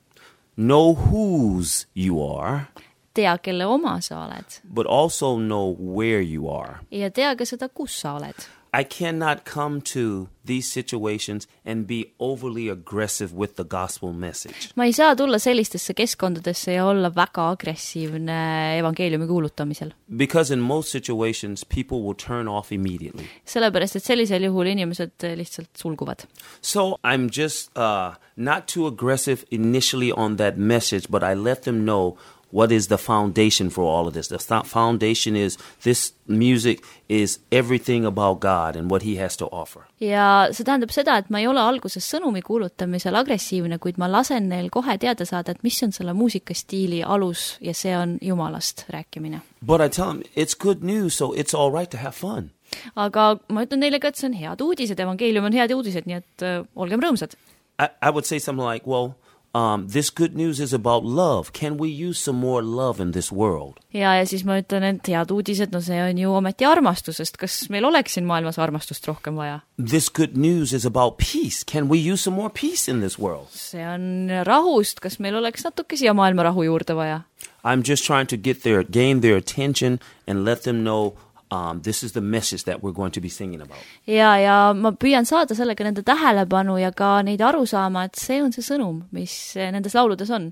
Know whose you are. Tea, kelle oma sa oled. But also know where you are. Ja tea ka seda, kus sa oled. I cannot come to these situations and be overly aggressive with the gospel message. Ma ei saa tulla sellistesse keskkondadesse ja olla väga agressiivne evangeeliumi kuulutamisel. Because in most situations people will turn off immediately. Sellepärast, et sellisel juhul inimesed lihtsalt sulguvad. So I'm just uh, not too aggressive initially on that message, but I let them know what is the foundation for all of this. The foundation is this music is everything about God and what he has to offer. Ja see tähendab seda, et ma ei ole alguses sõnumi kuulutamisel agressiivne, kuid ma lasen neil kohe teada saada, et mis on selle muusikastiili alus ja see on Jumalast rääkimine. But I tell them, it's good news, so it's all right to have fun. Aga ma ütlen neile ka, et see on head uudised, evangeelium on head uudised, nii et uh, olgem rõõmsad. I, I would say something like, well, Um, this good news is about love. Can we use some more love in this world? Ja, ja siis ma ütlen, et head uudised, no see on ju ometi armastusest. Kas meil oleks siin maailmas armastust rohkem vaja? This good news is about peace. Can we use some more peace in this world? See on rahust. Kas meil oleks natuke siia maailma rahu juurde vaja? I'm just trying to get their, gain their attention and let them know Um, this is the message that we're going to be singing about. Ja, ja ma püüan saada sellega nende tähelepanu ja ka neid aru saama, et see on see sõnum, mis nendes lauludes on.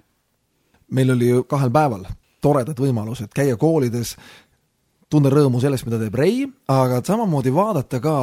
Meil oli ju kahel päeval toredad võimalused käia koolides, tunda rõõmu sellest, mida teeb Ray, aga samamoodi vaadata ka,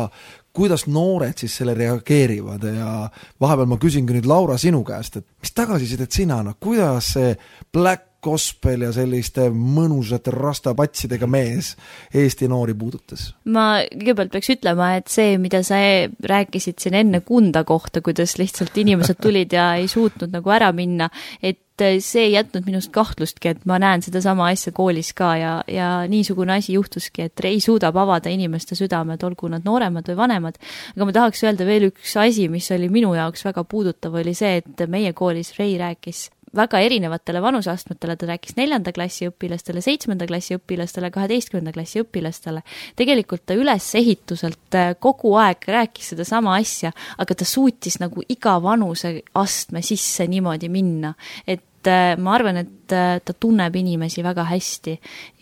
kuidas noored siis selle reageerivad ja vahepeal ma küsingi nüüd Laura sinu käest, et mis tagasisidet sina, no kuidas see Black Gospel ja selliste mõnusate rastapatsidega mees Eesti noori puudutas? Ma kõigepealt peaks ütlema, et see, mida sa rääkisid siin enne Kunda kohta, kuidas lihtsalt inimesed tulid ja ei suutnud nagu ära minna, et see ei jätnud minust kahtlustki, et ma näen seda sama asja koolis ka ja, ja niisugune asi juhtuski, et Ray suudab avada inimeste südamed, olgu nad nooremad või vanemad. Aga ma tahaks öelda veel üks asi, mis oli minu jaoks väga puudutav, oli see, et meie koolis Ray rääkis väga erinevatele vanuseastmetele, ta rääkis neljanda klassi õpilastele, seitsmenda klassi õpilastele, kaheteistkümnenda klassi õpilastele. Tegelikult ta ülesehituselt kogu aeg rääkis seda sama asja, aga ta suutis nagu iga vanuse astme sisse niimoodi minna. Et ma arvan, et ta tunneb inimesi väga hästi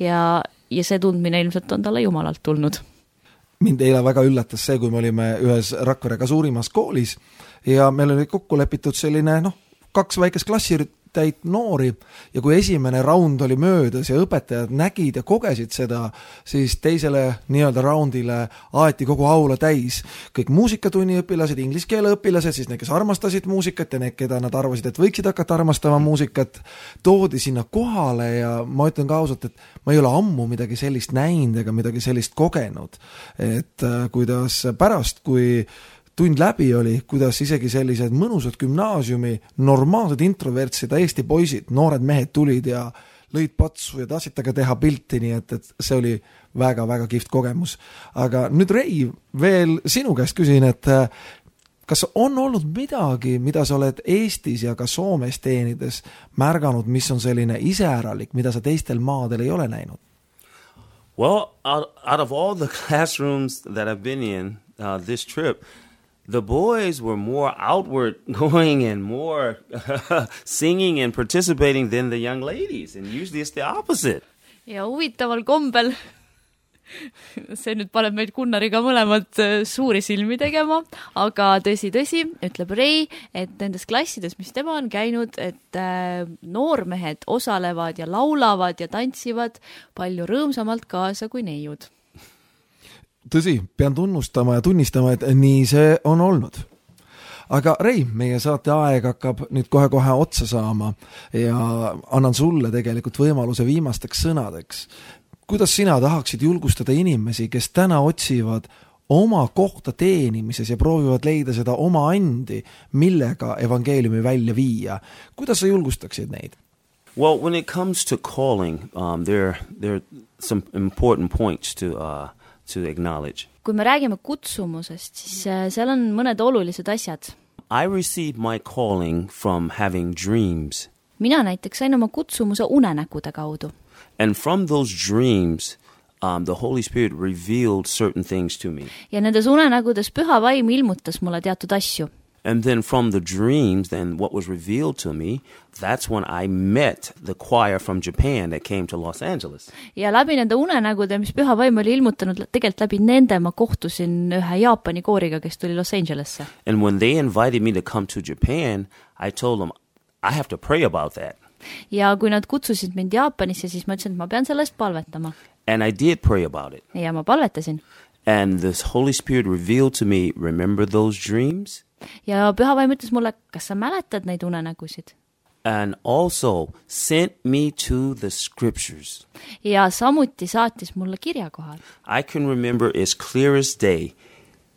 ja, ja see tundmine ilmselt on talle jumalalt tulnud. Mind eile väga üllatas see, kui me olime ühes Rakverega suurimas koolis ja meil oli kokku lepitud selline, noh, kaks väikest klassitäit noori ja kui esimene raund oli möödas ja õpetajad nägid ja kogesid seda, siis teisele nii-öelda raundile aeti kogu aula täis. Kõik muusikatunni õpilased, inglise keele õpilased, siis need, kes armastasid muusikat ja need, keda nad arvasid, et võiksid hakata armastama muusikat, toodi sinna kohale ja ma ütlen ka ausalt, et ma ei ole ammu midagi sellist näinud ega midagi sellist kogenud. Et kuidas pärast, kui tund läbi oli, kuidas isegi sellised mõnusad gümnaasiumi, normaalsed introvertsid Eesti poisid, noored mehed tulid ja lõid patsu ja tahtsid taga teha pilti, nii et, et see oli väga-väga kihvt kogemus. Aga nüüd Ray, veel sinu käest küsin, et kas on olnud midagi, mida sa oled Eestis ja ka Soomes teenides märganud, mis on selline iseäralik, mida sa teistel maadel ei ole näinud? Well, out, out of all the classrooms that I've been in uh, this trip, the boys were more outward going and more singing and participating than the young ladies. And usually it's the opposite. Ja huvitaval kombel, see nüüd paneb meid Gunnariga mõlemad suuri silmi tegema, aga tõsi, tõsi, ütleb Ray, et nendes klassides, mis tema on käinud, et noormehed osalevad ja laulavad ja tantsivad palju rõõmsamalt kaasa kui neiud. Tõsi, pean tunnustama ja tunnistama, et nii see on olnud. Aga Ray, meie saate aeg hakkab nüüd kohe-kohe otsa saama ja annan sulle tegelikult võimaluse viimasteks sõnadeks. Kuidas sina tahaksid julgustada inimesi, kes täna otsivad oma kohta teenimises ja proovivad leida seda oma andi, millega evangeeliumi välja viia? Kuidas sa julgustaksid neid? Well, when it comes to calling, um, there, there are some important points to... Uh, to acknowledge. Kui me räägime kutsumusest, siis seal on mõned olulised asjad. I received my calling from having dreams. Mina näiteks sain oma kutsumuse unenäkude kaudu. And from those dreams, um, the Holy Spirit revealed certain things to me. Ja nendes unenägudes Püha Vaim ilmutas mulle teatud asju. And then from the dreams, then what was revealed to me, that's when I met the choir from Japan that came to Los Angeles. Ja läbi nende unenägude, mis Püha Vaim oli ilmutanud, tegelikult läbi nende ma kohtusin ühe Jaapani kooriga, kes tuli Los Angelesse. And when they invited me to come to Japan, I told them, I have to pray about that. Ja kui nad kutsusid mind Jaapanisse, siis ma ütlesin, et ma pean sellest palvetama. And I did pray about it. Ja ma palvetasin. And the Holy Spirit revealed to me, remember those dreams? Ja Püha Vaim ütles mulle, kas sa mäletad neid unenägusid? And also sent me to the scriptures. Ja samuti saatis mulle kirja kohal. I can remember as clear as day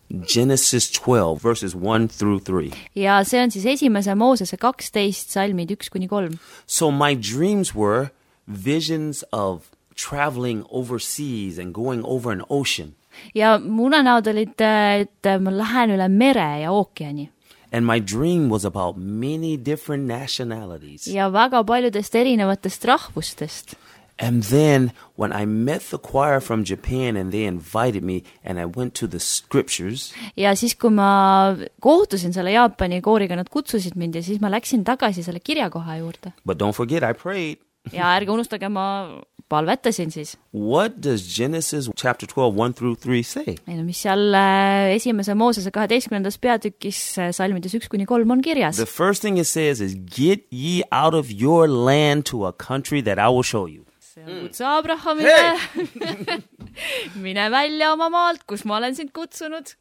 Genesis twelve, verses one through three. Ja see on siis esimese Moosese kaksteist salmid üks kuni kolm. So my dreams were visions of traveling overseas and going over an ocean. Ja mu unenäod olid, et ma lähen üle mere ja ookeani. And my dream was about many different nationalities. Ja väga paljudest erinevatest rahvustest. And then when I met the choir from Japan and they invited me and I went to the scriptures. Ja siis kui ma kohtusin selle Jaapani kooriga, nad kutsusid mind ja siis ma läksin tagasi selle kirjakoha juurde. But don't forget I prayed. Ja ärge unustage, ma palvetasin siis. What does Genesis chapter twelve, one through three say? No, mis seal esimese Moosese kaheteistkümnendas peatükis salmides üks kuni kolm on kirjas. The first thing it says is, get ye out of your land to a country that I will show you. see on kutse Abrahamile. Mine välja oma maalt, kus ma olen sind kutsunud.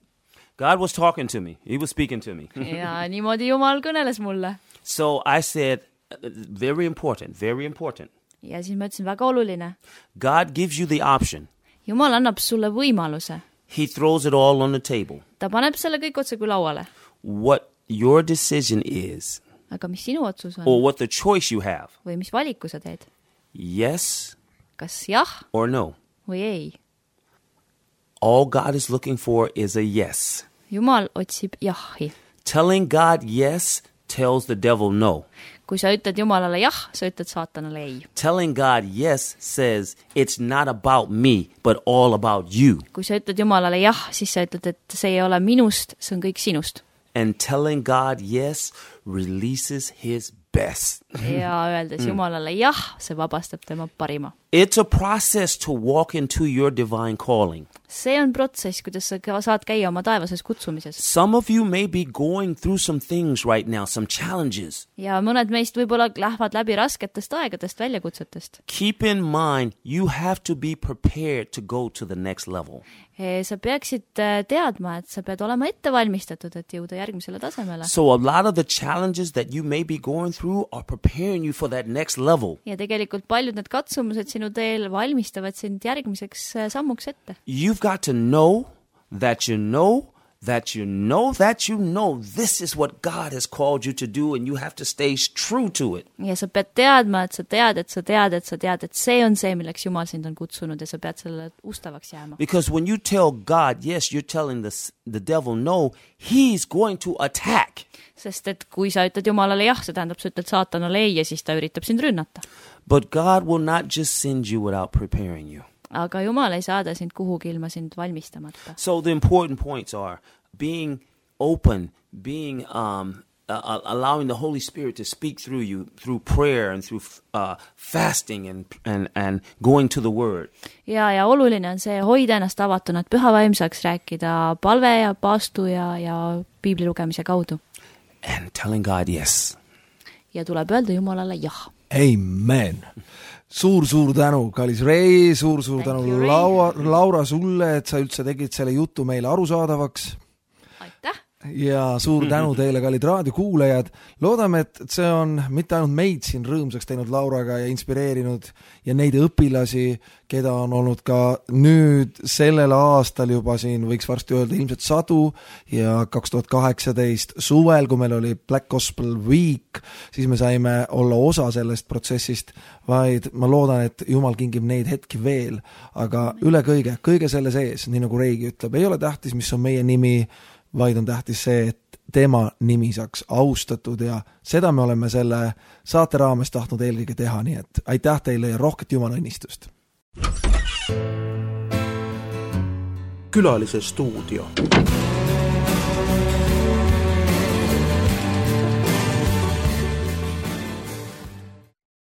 God was talking to me. He was speaking to me. Ja niimoodi Jumal kõneles mulle. So I said, very important, very important. Ja siis ma ütlesin, väga oluline. God gives you the option. Jumal annab sulle võimaluse. He throws it all on the table. Ta paneb selle kõik otse kui lauale. What your decision is, aga mis sinu otsus on? or what the choice you have. Või mis valiku sa teed? Yes. Kas jah? Or no. Või ei? All God is looking for is a yes. Jumal otsib jahi. Telling God yes tells the devil no. Kui sa ütled Jumalale jah, sa ütled saatanale ei. Telling God yes says it's not about me, but all about you. Kui sa ütled Jumalale jah, siis sa ütled, et see ei ole minust, see on kõik sinust. And telling God yes releases his best. Ja öeldes Jumalale jah, see vabastab tema parima. It's a process to walk into your divine calling. See on protsess, kuidas sa saad käia oma taevases kutsumises. Some of you may be going through some things right now, some challenges. Ja mõned meist võib-olla lähevad läbi rasketest aegadest, väljakutsetest. Keep in mind, you have to be prepared to go to the next level. Sa peaksid teadma, et sa pead olema ette valmistatud, et jõuda järgmisele tasemele. So a lot of the challenges that you may be going through are preparing you for that next level. Ja tegelikult paljud need katsumused sinu teel valmistavad sind järgmiseks sammuks ette. You've got to know that you know that you know that you know this is what God has called you to do, and you have to stay true to it. Ja sa pead teadma, et sa tead, et sa tead, et sa tead, et see on see, milleks Jumal sind on kutsunud, ja sa pead selle ustavaks jääma. Because when you tell God yes, you're telling the, the devil no, he's going to attack. Sest et kui sa ütled Jumalale jah, see tähendab, sa ütled saatanale ei, ja siis ta üritab sind rünnata. But God will not just send you without preparing you. Aga Jumal ei saada sind kuhugi ilma sind valmistamata. So the important points are being open, being um, uh, allowing the Holy Spirit to speak through you through prayer and through uh, fasting and, and, and going to the Word. Ja, ja oluline on see hoida ennast avatuna, et püha vaim saaks rääkida palve ja paastu ja, ja piibli lugemise kaudu. And telling God yes. Ja tuleb öelda Jumalale jah. Amen. Suur-suur tänu, kallis Rei, suur-suur tänu you, Laura, Laura sulle, et sa üldse tegid selle jutu meile arusaadavaks. Aitäh! Ja suur tänu teile, kallid raadiokuulajad. Loodame, et see on mitte ainult meid siin rõõmsaks teinud Lauraga ja inspireerinud ja neid õpilasi, keda on olnud ka nüüd sellel aastal juba siin, võiks varsti öelda ilmselt sadu, ja kaks tuhat kaheksateist suvel, kui meil oli Black Gospel Week, siis me saime olla osa sellest protsessist, vaid ma loodan, et Jumal kingib neid hetki veel, aga üle kõige, kõige selle sees, nii nagu Reigi ütleb, ei ole tähtis, mis on meie nimi, vaid on tähtis see, et tema nimi saaks austatud, ja seda me oleme selle saate raames tahtnud eelkõige teha, nii et aitäh teile ja rohket Jumala õnnistust. Külalise stuudio.